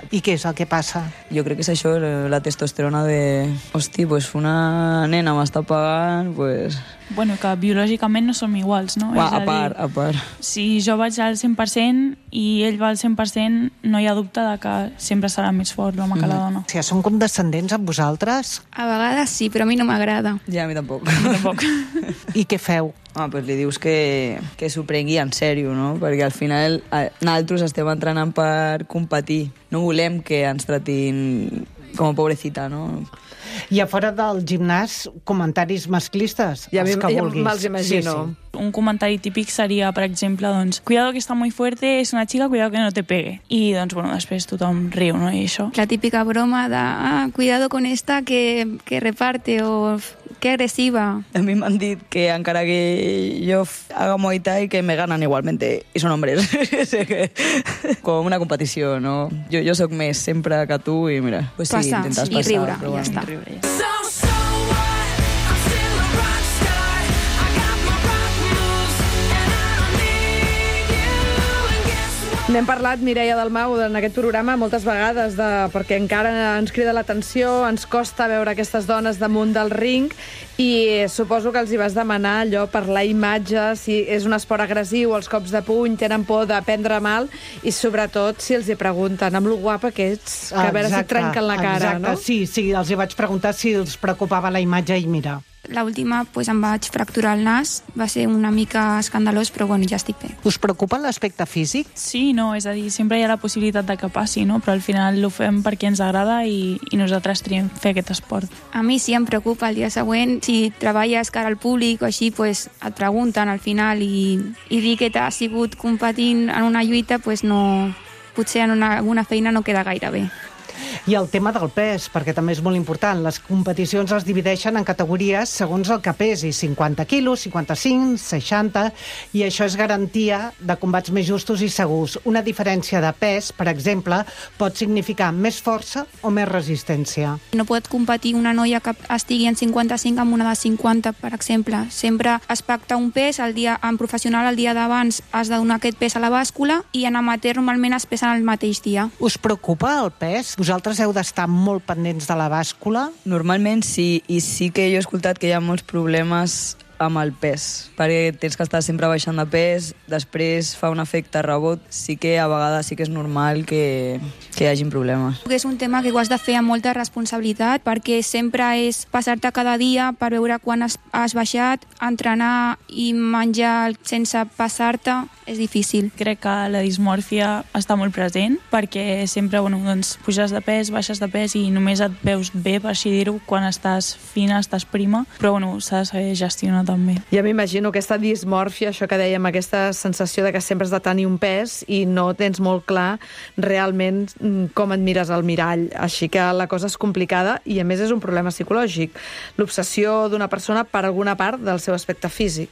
I què és el que passa? Jo crec que és això, la testosterona de... Hosti, pues una nena m'està pagant, pues... Bueno, que biològicament no som iguals, no? A part. Si jo vaig al 100% i ell va al 100%, no hi ha dubte de que sempre serà més fort l'home que la dona. Si són condescendents amb vosaltres? A vegades sí, però a mi no m'agrada. Ja, a mi tampoc. I què feu? Pues li dius que s'ho prengui en sèrio, no? Perquè al final nosaltres estem entrenant per competir. No volem que ens tratin com a pobrecita, no? I a fora del gimnàs, comentaris masclistes, els que vulguis. Me'ls imagino. Sí. Un comentari típic seria, per exemple, doncs, cuidado que está muy fuerte, es una chica, cuidado que no te pegue. I, doncs, bueno, després tothom riu, no? I això. La típica broma de cuidado con esta que reparte o que agresiva. A mi m'han dit que encara que jo haga Muay Thai, que me ganan igualmente. I són hombres. Com una competició, no? Jo sóc més sempre que tu i mira, pues sí, passar, intentes i passar. riure, Però ja està. N'hem parlat, Mireia Dalmau, en aquest programa moltes vegades, perquè encara ens crida l'atenció, ens costa veure aquestes dones damunt del ring, i suposo que els hi vas demanar allò per la imatge, si és un esport agressiu, els cops de puny, tenen por de prendre mal, i sobretot si els hi pregunten amb lo guapa que ets, que a veure si et trenquen la cara, no? Sí, els hi vaig preguntar si els preocupava la imatge i mira. L'última, pues, em vaig fracturar el nas, va ser una mica escandalós, però bueno, ja estic bé. Us preocupa l'aspecte físic? Sí, no, és a dir, sempre hi ha la possibilitat de que passi, no? Però al final ho fem perquè ens agrada i nosaltres triem fer aquest esport. A mi sí em preocupa el dia següent. Si treballes cara al públic o així, pues, et pregunten al final i dir que t'has sigut competint en una lluita, pues no, potser en alguna feina no queda gaire bé. I el tema del pes, perquè també és molt important. Les competicions es divideixen en categories segons el que pesi, 50 quilos, 55, 60, i això és garantia de combats més justos i segurs. Una diferència de pes, per exemple, pot significar més força o més resistència. No pot competir una noia que estigui en 55 amb una de 50, per exemple. Sempre es pacta un pes, en professional el dia d'abans has de donar aquest pes a la bàscula i en amateur normalment es pesen el mateix dia. Us preocupa el pes? Vosaltres heu d'estar molt pendents de la bàscula? Normalment sí, i sí que jo he escoltat que hi ha molts problemes amb el pes, perquè tens que estar sempre baixant de pes, després fa un efecte rebot, sí que a vegades sí que és normal que hi hagin problemes. És un tema que ho has de fer amb molta responsabilitat, perquè sempre és passar-te cada dia per veure quan has baixat, entrenar i menjar sense passar-te, és difícil. Crec que la dismòrfia està molt present, perquè sempre doncs, puges de pes, baixes de pes i només et veus bé, per així dir-ho, quan estàs fina, estàs prima, però s'ha de saber gestionar també. Ja m'imagino aquesta dismòrfia, això que dèiem, aquesta sensació de que sempre has de tenir un pes i no tens molt clar realment com et mires al mirall. Així que la cosa és complicada i, a més, és un problema psicològic. L'obsessió d'una persona per alguna part del seu aspecte físic.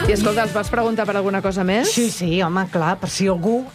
I escolta, els vas preguntar per alguna cosa més? Sí, home, clar, per si algú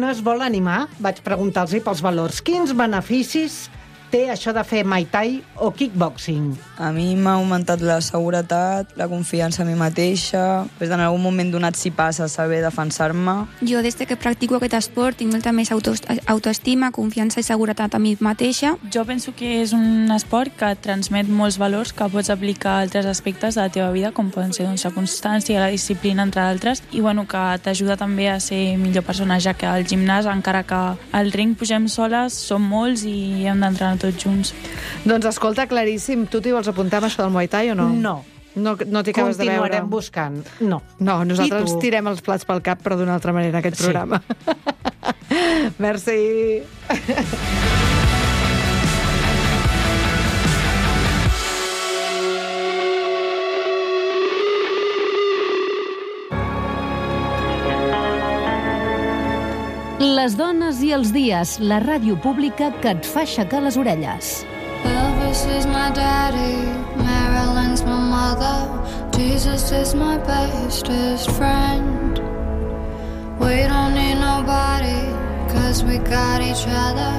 es vol animar, vaig preguntar-los pels valors. Quins beneficis té això de fer Muay Thai o kickboxing? A mi m'ha augmentat la seguretat, la confiança en mi mateixa, des en algun moment donat si passa saber defensar-me. Jo, des que practico aquest esport, tinc molta més autoestima, confiança i seguretat a mi mateixa. Jo penso que és un esport que et transmet molts valors que pots aplicar a altres aspectes de la teva vida, com poden ser la constància, la disciplina, entre altres, i que t'ajuda també a ser millor persona, ja que al gimnàs, encara que al ring pugem soles, som molts i hem d'entrenar tots junts. Doncs escolta, claríssim, tu t'hi vols apuntar amb això del Muay Thai o no? No. No t'hi acabes de veure? Continuarem buscant. No. No, nosaltres ens tirem els plats pel cap, però d'una altra manera, aquest programa. Merci. Les dones i els dies, la ràdio pública que et fa aixecar les orelles. Elvis is my daddy, Marilyn's my mother, Jesus is my bestest friend. We don't need nobody, cause we got each other,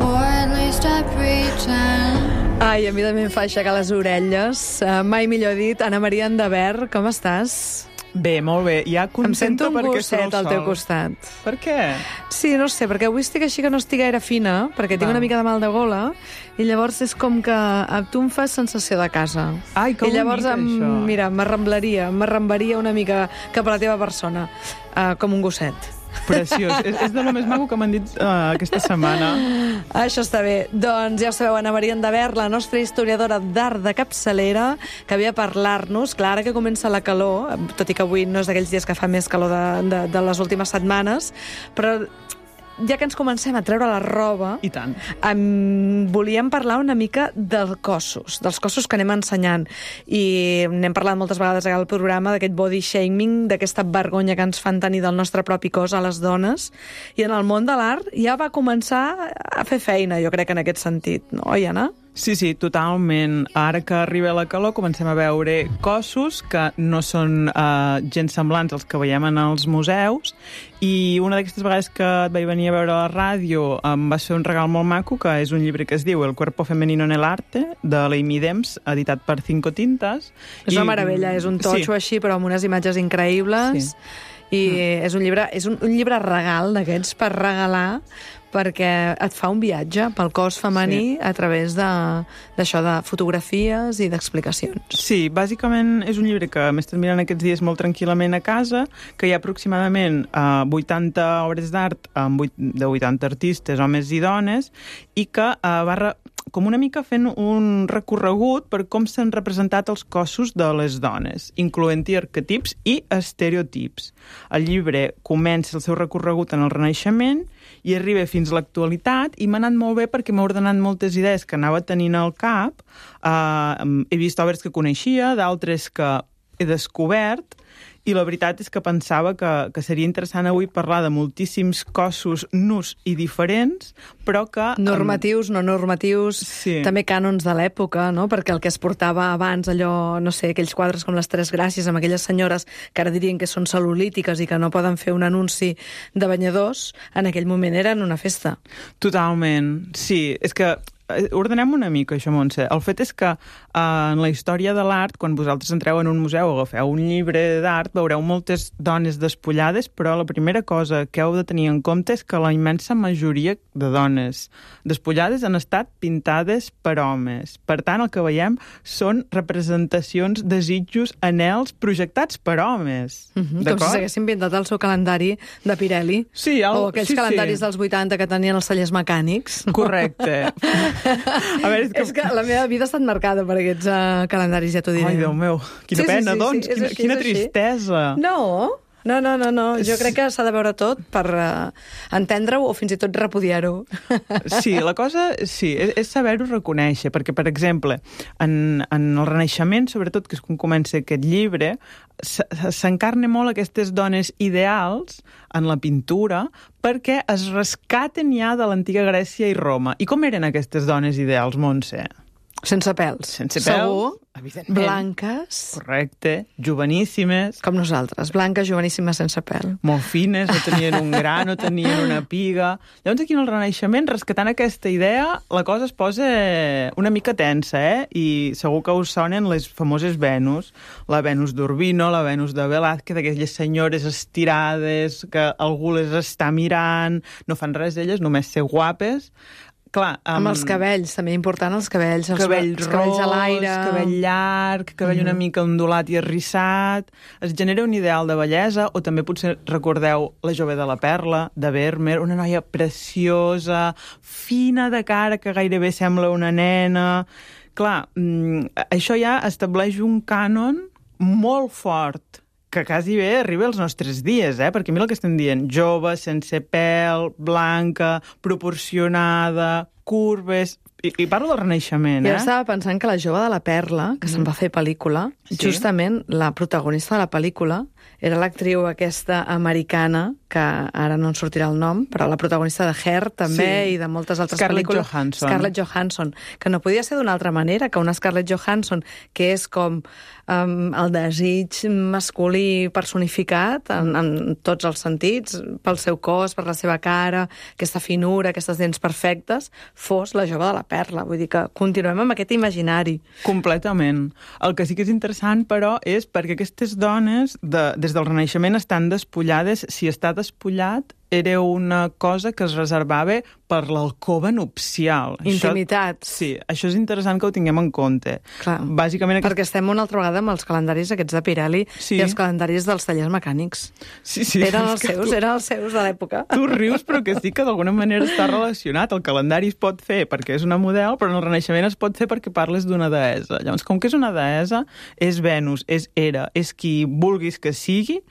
or at least I pretend. Ai, a mi també em fa aixecar les orelles. Mai millor dit. Ana Maria Endavert, com estàs? Bé, molt bé. Ja Em sento un perquè surt gosset el al teu sol. costat. Per què? Sí, no sé, perquè avui estic així que no estic gaire fina, perquè tinc una mica de mal de gola, i llavors és com que tu em fas sensació de casa. Ai, que I llavors, bonic, això. mira, m'arrambaria una mica cap a la teva persona, com un gosset. Preciós. És de lo més maco que m'han dit aquesta setmana. Això està bé. Doncs ja ho sabeu, Ana Maria Endavert, la nostra historiadora d'art de capçalera, que ve a parlar-nos, clar, ara que comença la calor, tot i que avui no és d'aquells dies que fa més calor de les últimes setmanes, però ja que ens comencem a treure la roba, I tant. Volíem parlar una mica dels cossos que anem ensenyant. I n'hem parlat moltes vegades al programa d'aquest body shaming, d'aquesta vergonya que ens fan tenir del nostre propi cos a les dones. I en el món de l'art ja va començar a fer feina, jo crec, en aquest sentit. No, oi, Anna? Sí, totalment. Ara que arriba la calor comencem a veure cossos que no són gens semblants als que veiem en els museus, i una d'aquestes vegades que et vaig venir a veure a la ràdio em va ser un regal molt maco, que és un llibre que es diu El cuerpo femenino en el arte, de l'Amy Dems, editat per Cinco Tintas. És una meravella, és un totxo així, però amb unes imatges increïbles. I és un llibre regal d'aquests per regalar, perquè et fa un viatge pel cos femení a través d'això, de fotografies i d'explicacions. Sí, bàsicament és un llibre que m'he estat mirant aquests dies molt tranquil·lament a casa, que hi ha aproximadament 80 obres d'art de 80 artistes, homes i dones, i que va com una mica fent un recorregut per com s'han representat els cossos de les dones, incloent-hi arquetips i estereotips. El llibre comença el seu recorregut en el Renaixement i arriba fins a l'actualitat, i m'ha anat molt bé perquè m'ha ordenat moltes idees que anava tenint al cap. He vist obres que coneixia, d'altres que he descobert, i la veritat és que pensava que seria interessant avui parlar de moltíssims cossos nus i diferents, però que... Normatius, no normatius, també cànons de l'època, no? Perquè el que es portava abans, allò, no sé, aquells quadres com les Tres Gràcies, amb aquelles senyores que ara dirien que són cel·lulítiques i que no poden fer un anunci de banyadors, en aquell moment eren una festa. Totalment, sí. És que ordenem una mica això, Montse. El fet és que en la història de l'art, quan vosaltres entreu en un museu o agafeu un llibre d'art, veureu moltes dones despullades, però la primera cosa que heu de tenir en compte és que la immensa majoria de dones despullades han estat pintades per homes. Per tant, el que veiem són representacions, desitjos, anhels projectats per homes. Com si s'haguessin pintat el seu calendari de Pirelli. Sí, o aquells calendaris dels 80 que tenien els tallers mecànics. Correcte. A veure, és que la meva vida ha estat marcada per aquests calendaris, ja t'ho diré. Ai, Déu meu, quina pena, doncs, quina tristesa. No, jo crec que s'ha de veure tot per entendre-ho o fins i tot repudiar-ho. Sí, la cosa és saber-ho reconèixer, perquè, per exemple, en el Renaixement, sobretot, que és quan comença aquest llibre, s'encarna molt aquestes dones ideals en la pintura perquè es rescaten ja de l'antiga Grècia i Roma. I com eren aquestes dones ideals, Montse? Sense pèls. Sense pèls, Segur. evidentment. Blanques. Correcte. Joveníssimes. Com nosaltres. Blanques, joveníssimes, sense pèl. Molt fines, no tenien un gra, no tenien una piga. Llavors aquí en el Renaixement, rescatant aquesta idea, la cosa es posa una mica tensa, I segur que us sonen les famoses Venus. La Venus d'Urbino, la Venus de Velázquez, aquelles senyores estirades que algú les està mirant, no fan res d'elles, només ser guapes. Clar, amb els cabells, també important els cabells. Cabell els cabells a l'aire. Cabell llarg, cabell una mica ondulat i arrissat. Es genera un ideal de bellesa, o també potser recordeu La jove de la perla, de Vermeer, una noia preciosa, fina de cara, que gairebé sembla una nena. Clar, això ja estableix un cànon molt fort, que quasi bé arriba als nostres dies, perquè mira el que estem dient, jove, sense pèl, blanca, proporcionada, curves... I parlo del Renaixement, Jo estava pensant que La jove de la perla, que se'n va fer pel·lícula, justament la protagonista de la pel·lícula era l'actriu aquesta americana, que ara no en sortirà el nom, però la protagonista de Hair també, i de moltes altres pel·lícules. Scarlett Johansson. Que no podia ser d'una altra manera que una Scarlett Johansson, que és com el desig masculí personificat en tots els sentits, pel seu cos, per la seva cara, aquesta finura, aquestes dents perfectes, fos la jove de la perla. Vull dir que continuem amb aquest imaginari. Completament. El que sí que és interessant, però, és perquè aquestes dones, des del Renaixement, estan despullades. Si està despullat, era una cosa que es reservava per l'alcova nupcial. Intimitat. Això és interessant que ho tinguem en compte. Clar, bàsicament perquè estem una altra vegada amb els calendaris aquests de Pirelli i els calendaris dels tallers mecànics. Eren els seus de l'època. Tu rius, però que sí que d'alguna manera està relacionat. El calendari es pot fer perquè és una model, però en el Renaixement es pot fer perquè parles d'una deessa. Llavors, com que és una deessa, és Venus, és Hera, és qui vulguis que sigui,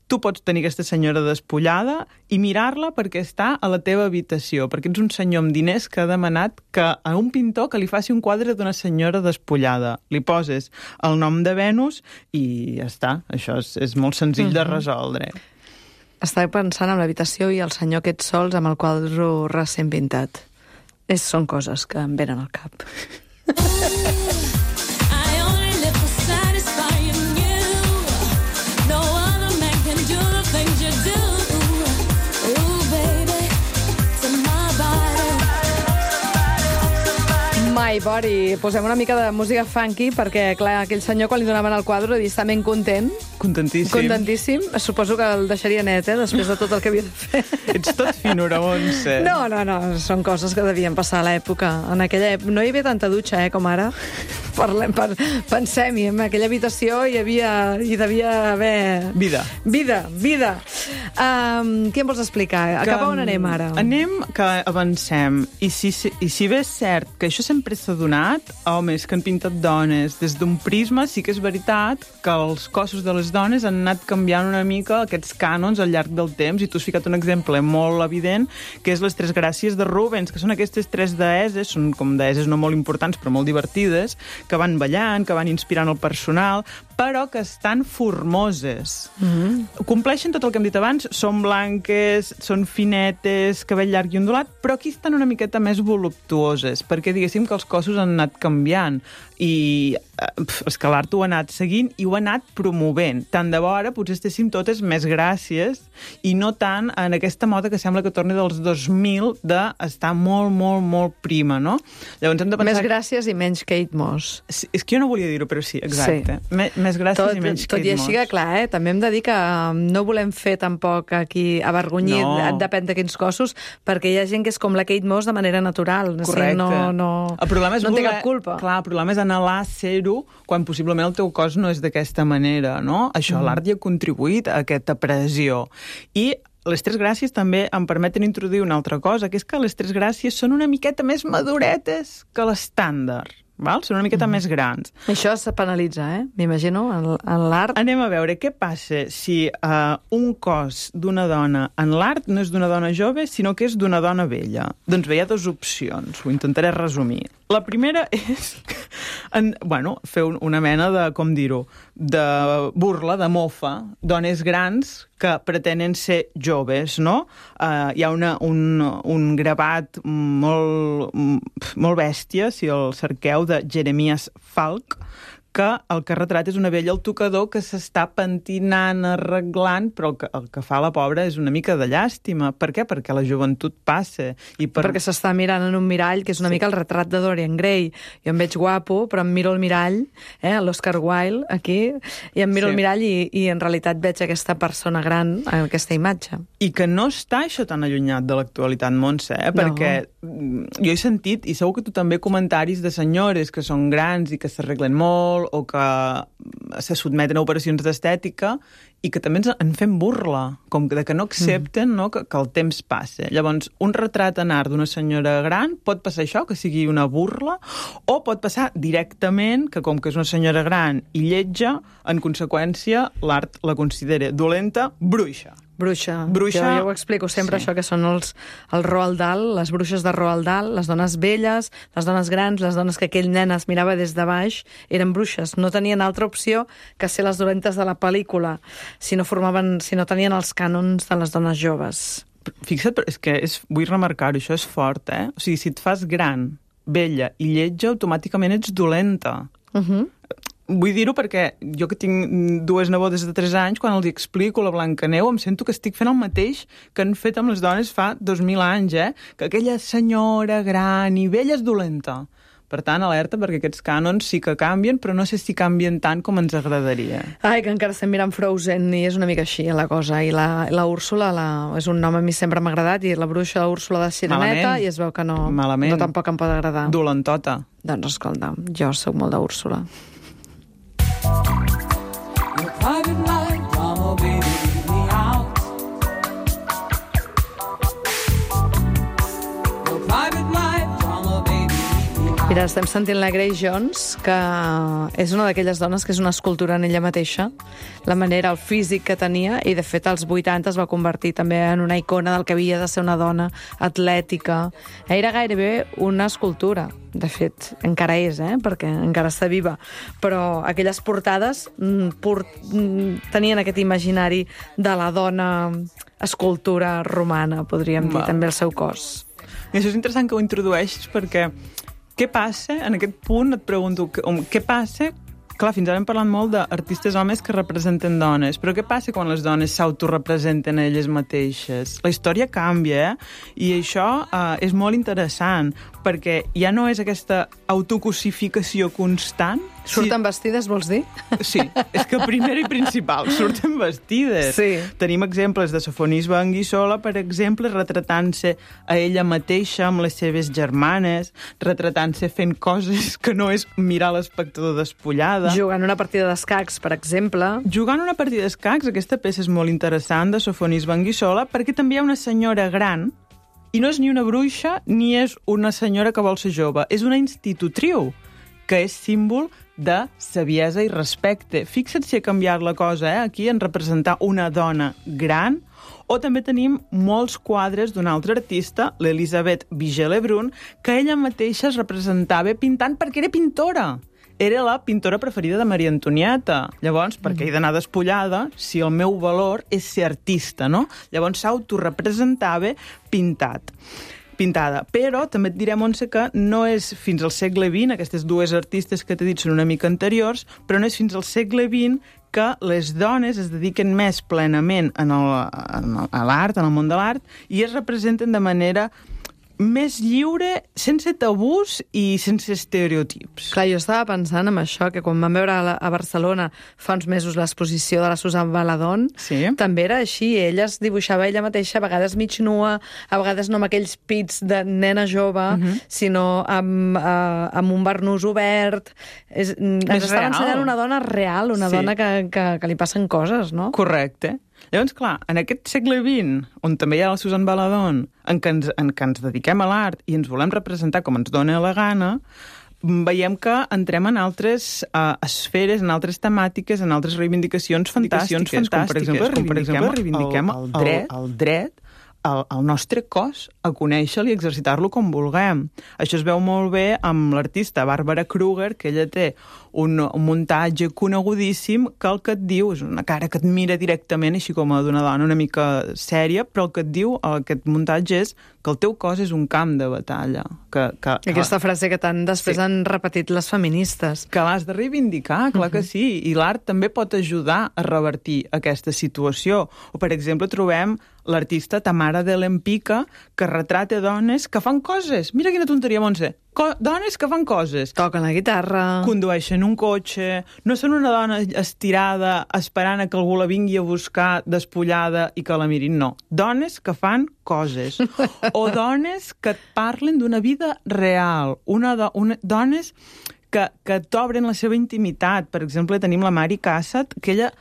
tu pots tenir aquesta senyora despullada i mirar-la perquè està a la teva habitació, perquè ets un senyor amb diners que ha demanat que a un pintor que li faci un quadre d'una senyora despullada. Li poses el nom de Venus i ja està. Això és molt senzill de resoldre. Estava pensant en l'habitació i el senyor aquests sols amb el quadre recent pintat. Són coses que em venen al cap. My Body. Posem una mica de música funky perquè, clar, aquell senyor quan li donaven el quadre està ben content. Contentíssim. Contentíssim. Suposo que el deixaria net, després de tot el que havia de fer. Ets tot finura, Montse. No. Són coses que devien passar a l'època. En aquella època no hi havia tanta dutxa, com ara. Pensem-hi, en aquella habitació hi devia haver... Vida. Què em vols explicar? Cap a on anem ara? Anem que avancem. I si bé és cert que això sempre s'ha donat, homes que han pintat dones des d'un prisma, sí que és veritat que els cossos de les dones han anat canviant una mica aquests cànons al llarg del temps, i tu has ficat un exemple molt evident, que és les Tres Gràcies de Rubens, que són aquestes tres deesses, són com deesses no molt importants però molt divertides, que van ballant, que van inspirant el personal, però que estan formoses. Compleixen tot el que hem dit abans, són blanques, són finetes, cabell llarg i ondulat, però aquí estan una miqueta més voluptuoses, perquè diguéssim que els cossos han anat canviant i és que l'art ho ha anat seguint i ho ha anat promovent. Tant de bo ara potser estéssim totes més gràcies i no tant en aquesta moda que sembla que torni dels 2000 d'estar molt, molt, molt prima, no? Llavors hem de pensar... Més gràcies i menys Kate Moss. Sí, és que jo no volia dir-ho, però sí, exacte. Sí. Més gràcies i menys Kate Moss. Tot i així que, clar, també hem de dir que no volem fer tampoc aquí avergonyit, depèn de quins cossos, perquè hi ha gent que és com la Kate Moss de manera natural. Correcte. El problema és té cap culpa. Clar, el problema és anhelar ser-ho quan possiblement el teu cos no és d'aquesta manera, no? Això, l'art hi ha contribuït a aquesta pressió. I les Tres Gràcies també em permeten introduir una altra cosa, que és que les Tres Gràcies són una miqueta més maduretes que l'estàndard. Són una miqueta més grans. Això se penalitza, m'imagino, en l'art. Anem a veure què passa si un cos d'una dona en l'art no és d'una dona jove, sinó que és d'una dona vella. Doncs bé, hi ha dues opcions, ho intentaré resumir. La primera és fer una mena de, com dir-ho, de burla, de mofa, dones grans que pretenen ser joves, no? Hi ha un gravat molt bèstia, si el cerqueu, de Jeremias Falk, que el que retrat és una vella al tocador que s'està pentinant, arreglant, però el que fa la pobra és una mica de llàstima. Per què? Perquè la joventut passa. Perquè s'està mirant en un mirall, que és una mica el retrat de Dorian Gray. Jo em veig guapo, però em miro el mirall, l'Oscar Wilde, aquí, i em miro el mirall i en realitat veig aquesta persona gran en aquesta imatge. I que no està això tan allunyat de l'actualitat, Montse, perquè jo he sentit, i segur que tu també, comentaris de senyores que són grans i que s'arreglen molt, o que se sotmeten a operacions d'estètica i que també en fem burla, com que no accepten que el temps passa. Llavors, un retrat en art d'una senyora gran pot passar això, que sigui una burla, o pot passar directament que, com que és una senyora gran i lletja, en conseqüència, l'art la considera dolenta, bruixa. Bruixa. Jo ho explico sempre, això que són els Roald Dahl, les bruixes de Roald Dahl, les dones velles, les dones grans, les dones que aquell nen es mirava des de baix, eren bruixes. No tenien altra opció que ser les dolentes de la pel·lícula, si no tenien els cànons de les dones joves. Fixa't, és que vull remarcar-ho, això és fort, O sigui, si et fas gran, vella i lletja, automàticament ets dolenta. Vull dir-ho perquè jo que tinc dues nebodes de 3 anys, quan els explico la Blancaneu, em sento que estic fent el mateix que han fet amb les dones fa 2.000 anys, que aquella senyora gran i vella és dolenta. Per tant, alerta, perquè aquests cànons sí que canvien, però no sé si canvien tant com ens agradaria. Ai, que encara estem mirant Frozen i és una mica així, la cosa. I la Úrsula és un nom a mi sempre m'ha agradat, i la bruixa Úrsula de Sireneta, i es veu que no tampoc em pot agradar. Dolentota. Doncs escolta, jo soc molt d'Úrsula. Mira, estem sentint la Grace Jones, que és una d'aquelles dones que és una escultura en ella mateixa, la manera, el físic que tenia, i de fet als 80 es va convertir també en una icona del que havia de ser una dona atlètica. Era gairebé una escultura. De fet, encara és, perquè encara està viva. Però aquelles portades tenien aquest imaginari de la dona escultura romana, podríem dir, també el seu cos. I això és interessant que ho introdueixis, perquè què passa, en aquest punt et pregunto, què passa? Clar, fins ara hem parlat molt d'artistes homes que representen dones, però què passa quan les dones s'autorepresenten a elles mateixes? La història canvia, i això és molt interessant, perquè ja no és aquesta autocosificació constant. Surten vestides, vols dir? Sí, és que primer i principal, surten vestides. Sí. Tenim exemples de Sofonis Banguissola, per exemple, retratant-se a ella mateixa amb les seves germanes, retratant-se fent coses que no és mirar l'espectador despullada. Jugant una partida d'escacs, per exemple. Jugant una partida d'escacs, aquesta peça és molt interessant, de Sofonis Banguissola, perquè també hi ha una senyora gran, i no és ni una bruixa ni és una senyora que vol ser jove, és una institutriu, que és símbol de saviesa i respecte. Fixa't si ha canviat la cosa, aquí, en representar una dona gran. O també tenim molts quadres d'un altre artista, l'Elisabeth Vigée-Lebrun, que ella mateixa es representava pintant perquè era pintora. Era la pintora preferida de Maria Antonieta. Llavors, per què he d'anar despullada si el meu valor és ser artista, no? Llavors s'autorepresentava pintada. Però també et diré, Montse, que no és fins al segle XX, aquestes dues artistes que t'he dit són una mica anteriors, però no és fins al segle XX que les dones es dediquen més plenament a l'art, en el món de l'art, i es representen de manera més lliure, sense tabús i sense estereotips. Clar, jo estava pensant en això, que quan vam veure a Barcelona fa uns mesos l'exposició de la Susan Baladón, també era així, ella es dibuixava ella mateixa, a vegades mig nua, a vegades no amb aquells pits de nena jove, sinó amb un barnús obert. Ens estava ensenyant una dona real, una dona que li passen coses, no? Correcte. Llavors, clar, en aquest segle XX, on també hi ha la Susan Baladón, en què ens dediquem a l'art i ens volem representar com ens dona la gana, veiem que entrem en altres esferes, en altres temàtiques, en altres reivindicacions fantàstiques, com per exemple reivindiquem el dret el nostre cos a conèixer-lo i exercitar-lo com vulguem. Això es veu molt bé amb l'artista Barbara Kruger, que ella té un muntatge conegudíssim que el que et diu és una cara que et mira directament, així com a d'una dona una mica sèria, però el que et diu aquest muntatge és que el teu cos és un camp de batalla. Aquesta frase que tant després han repetit les feministes. Que l'has de reivindicar, clar que sí. I l'art també pot ajudar a revertir aquesta situació. O, per exemple, trobem l'artista Tamara de l'Empica, que retrata dones que fan coses. Mira quina tonteria, Montse. Dones que fan coses. Toquen la guitarra. Condueixen un cotxe. No són una dona estirada esperant a que algú la vingui a buscar despullada i que la mirin. No. Dones que fan coses. O dones que et parlen d'una vida real. Dones que t'obren la seva intimitat. Per exemple, tenim la Mari Cassatt, que ella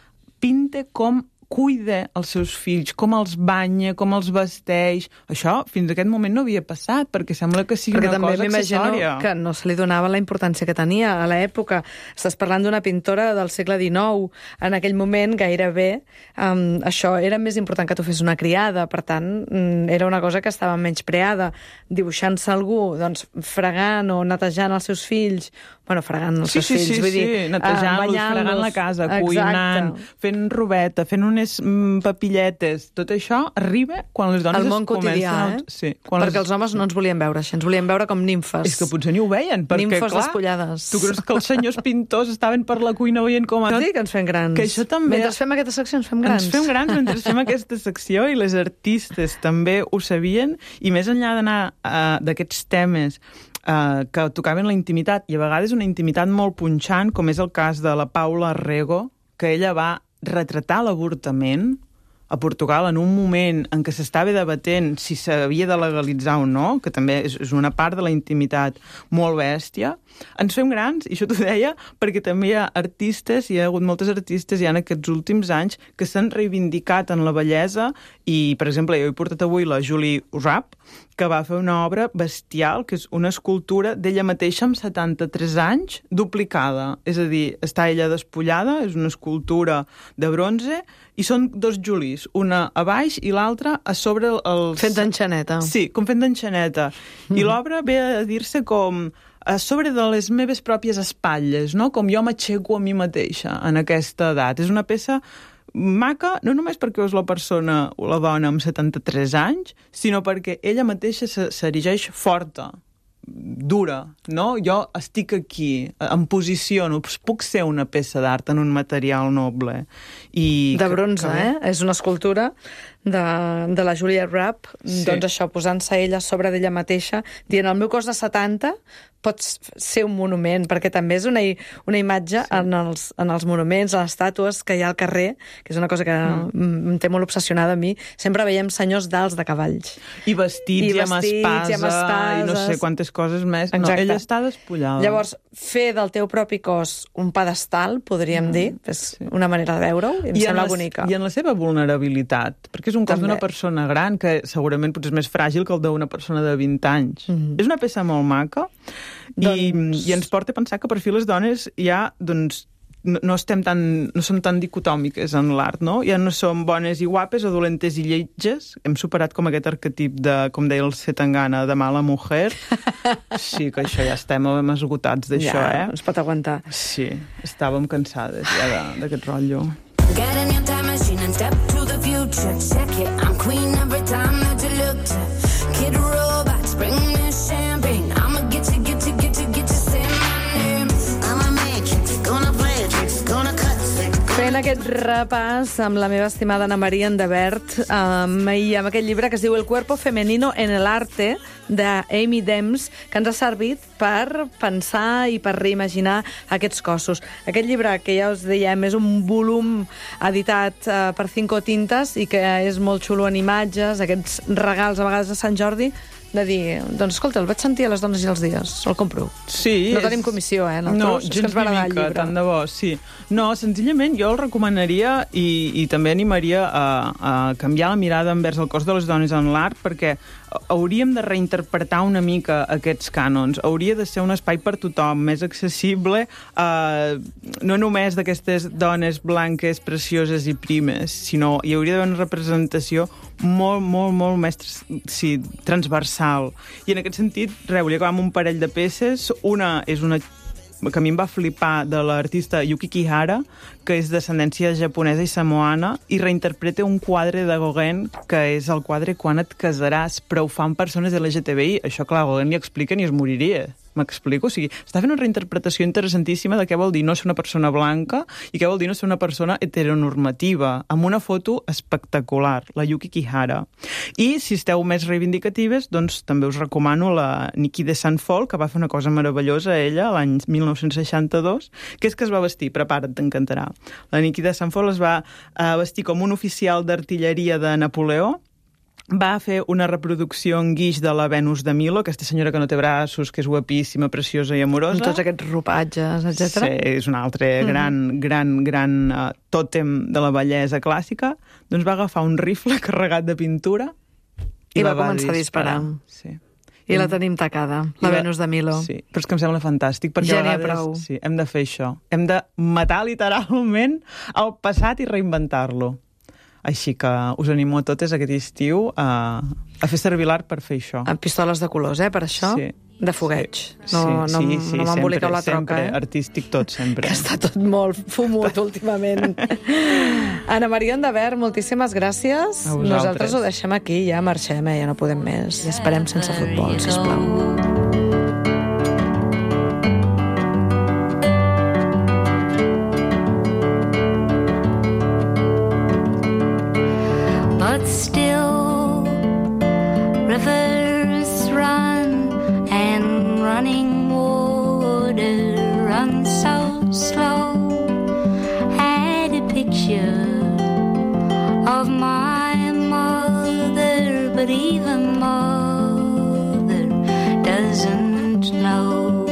pinta com cuida els seus fills, com els banya, com els vesteix. Això fins a aquest moment no havia passat, perquè sembla que sigui una cosa accessòria. Perquè també m'imagino que no se li donava la importància que tenia a l'època. Estàs parlant d'una pintora del segle XIX. En aquell moment, gairebé, això era més important que tu fes una criada. Per tant, era una cosa que estava menyspreada. Dibuixant-se algú, doncs, fregant o netejant els seus fills, fregant els seus fills, vull dir, netejant-los, fregant la casa, cuinant, fent robeta, fent unes papilletes, tot això arriba quan les dones el món quotidià, Sí, perquè els homes no ens volien veure així, ens volien veure com nimfes. És que potser ni ho veien, perquè, nimfes clar, despullades. Tu creus que els senyors pintors estaven per la cuina veient com... No dic que ens fem grans. Que això també... Mentre fem aquesta secció ens fem grans. Ens fem grans mentre fem aquesta secció i les artistes també ho sabien, i més enllà d'anar d'aquests temes que tocaven la intimitat, i a vegades una intimitat molt punxant, com és el cas de la Paula Rego, que ella va retratar l'avortament a Portugal en un moment en què s'estava debatent si s'havia de legalitzar o no, que també és una part de la intimitat molt bèstia. Ens fem grans, i això t'ho deia, perquè també hi ha artistes, hi ha hagut moltes artistes ja en aquests últims anys que s'han reivindicat en la bellesa, i, per exemple, jo he portat avui la Julie Rapp, que va fer una obra bestial, que és una escultura d'ella mateixa amb 73 anys, duplicada. És a dir, està ella despullada, és una escultura de bronze, i són dos Julies, una a baix i l'altra a sobre els... Fent d'enxaneta. Sí, com fent d'enxaneta. I l'obra ve a dir-se com a sobre de les meves pròpies espatlles, no? Com jo m'aixeco a mi mateixa en aquesta edat. És una peça maca, no només perquè és la persona o la dona amb 73 anys, sinó perquè ella mateixa s'erigeix forta, dura, no? Jo estic aquí, em posiciono, puc ser una peça d'art en un material noble. De bronze, És una escultura de la Julia Rapp, doncs això, posant-se ella a sobre d'ella mateixa, dient, el meu cos de 70 pot ser un monument, perquè també és una imatge en els monuments, a les estàtues que hi ha al carrer, que és una cosa que em té molt obsessionada a mi. Sempre veiem senyors d'alts de cavalls. I vestits, i amb espasa, i no sé quantes coses més. No, ella està despullada. Llavors, fer del teu propi cos un pedestal, podríem dir, és una manera de veure-ho, i em sembla bonica. I en la seva vulnerabilitat, perquè és un cos d'una persona gran que segurament potser és més fràgil que el d'una persona de 20 anys. És una peça molt maca, i ens porta a pensar que per fi les dones ja, doncs, no som tan dicotòmiques en l'art, no? Ja no som bones i guapes o dolentes i lletges. Hem superat com aquest arquetip de, com deia el Zetangana, de mala mujer. Sí, que això ja estem esgotats d'això, Ja, no es pot aguantar. Sí, estàvem cansades ja d'aquest rotllo. Get in your time machine and step to the future. Check it, I'm queen every time that you look to. Kid robots, bring me champagne. I'ma get you, say my name. I'm a matrix, gonna play a tricks, gonna cut sick. Fent aquest repàs amb la meva estimada Ana Maria Endebert, i amb aquest llibre que es diu El cuerpo femenino en el arte, d'Amy Dems, que ens ha servit per pensar i per reimaginar aquests cossos. Aquest llibre, que ja us dèiem, és un volum editat per Cinco Tintes i que és molt xulo en imatges, aquests regals a vegades de Sant Jordi, de dir, doncs escolta, el vaig sentir a les dones i els dies, el compro. Sí. No tenim comissió, No, gens ni mica, tant de bo, sí. No, senzillament jo el recomanaria i també animaria a canviar la mirada envers el cos de les dones en l'art, perquè hauríem de reinterpretar una mica aquests cànons. Hauria de ser un espai per tothom, més accessible, no només d'aquestes dones blanques, precioses i primes, sinó hi hauria d'haver una representació molt més transversal. I en aquest sentit, volia acabar amb un parell de peces. Una és una que a mi em va flipar, de l'artista Yuki Kihara, que és d'ascendència japonesa i samoana, i reinterpreta un quadre de Gauguin, que és el quadre Quan et casaràs, però ho fan persones LGTBI. Això, clar, Gauguin li expliquen i es moriria. M'explico? O sigui, està fent una reinterpretació interessantíssima de què vol dir no ser una persona blanca i què vol dir no ser una persona heteronormativa, amb una foto espectacular, la Yuki Kihara. I, si esteu més reivindicatives, doncs també us recomano la Niki de Sant Fol, que va fer una cosa meravellosa, ella, l'any 1962, que és que es va vestir, prepara't, t'encantarà. La Niki de Sant Fol es va vestir com un oficial d'artilleria de Napoleó, va fer una reproducció en guix de la Venus de Milo, aquesta senyora que no té braços, que és guapíssima, preciosa i amorosa. Amb tots aquests ropatges, etc. Sí, és un altre gran tòtem de la bellesa clàssica. Doncs va agafar un rifle carregat de pintura i va començar a disparar. Sí. I la tenim tacada, la Venus de Milo. Sí, però és que em sembla fantàstic, perquè ja a vegades prou. Sí, hem de fer això. Hem de matar literalment el passat i reinventar-lo. Així que us animo a totes aquest estiu a fer servir l'art per fer això. Amb pistoles de colors, per això? Sí. De fogueig. Sí, No m'emboliqueu la troca, sempre, artístic tot, sempre. Que està tot molt fumut últimament. Ana Maria Andavert, moltíssimes gràcies. A vosaltres. Nosaltres ho deixem aquí, ja marxem, ja no podem més. I esperem sense futbol, sisplau. But still, rivers run and running water runs so slow. Had a picture of my mother, but even mother doesn't know.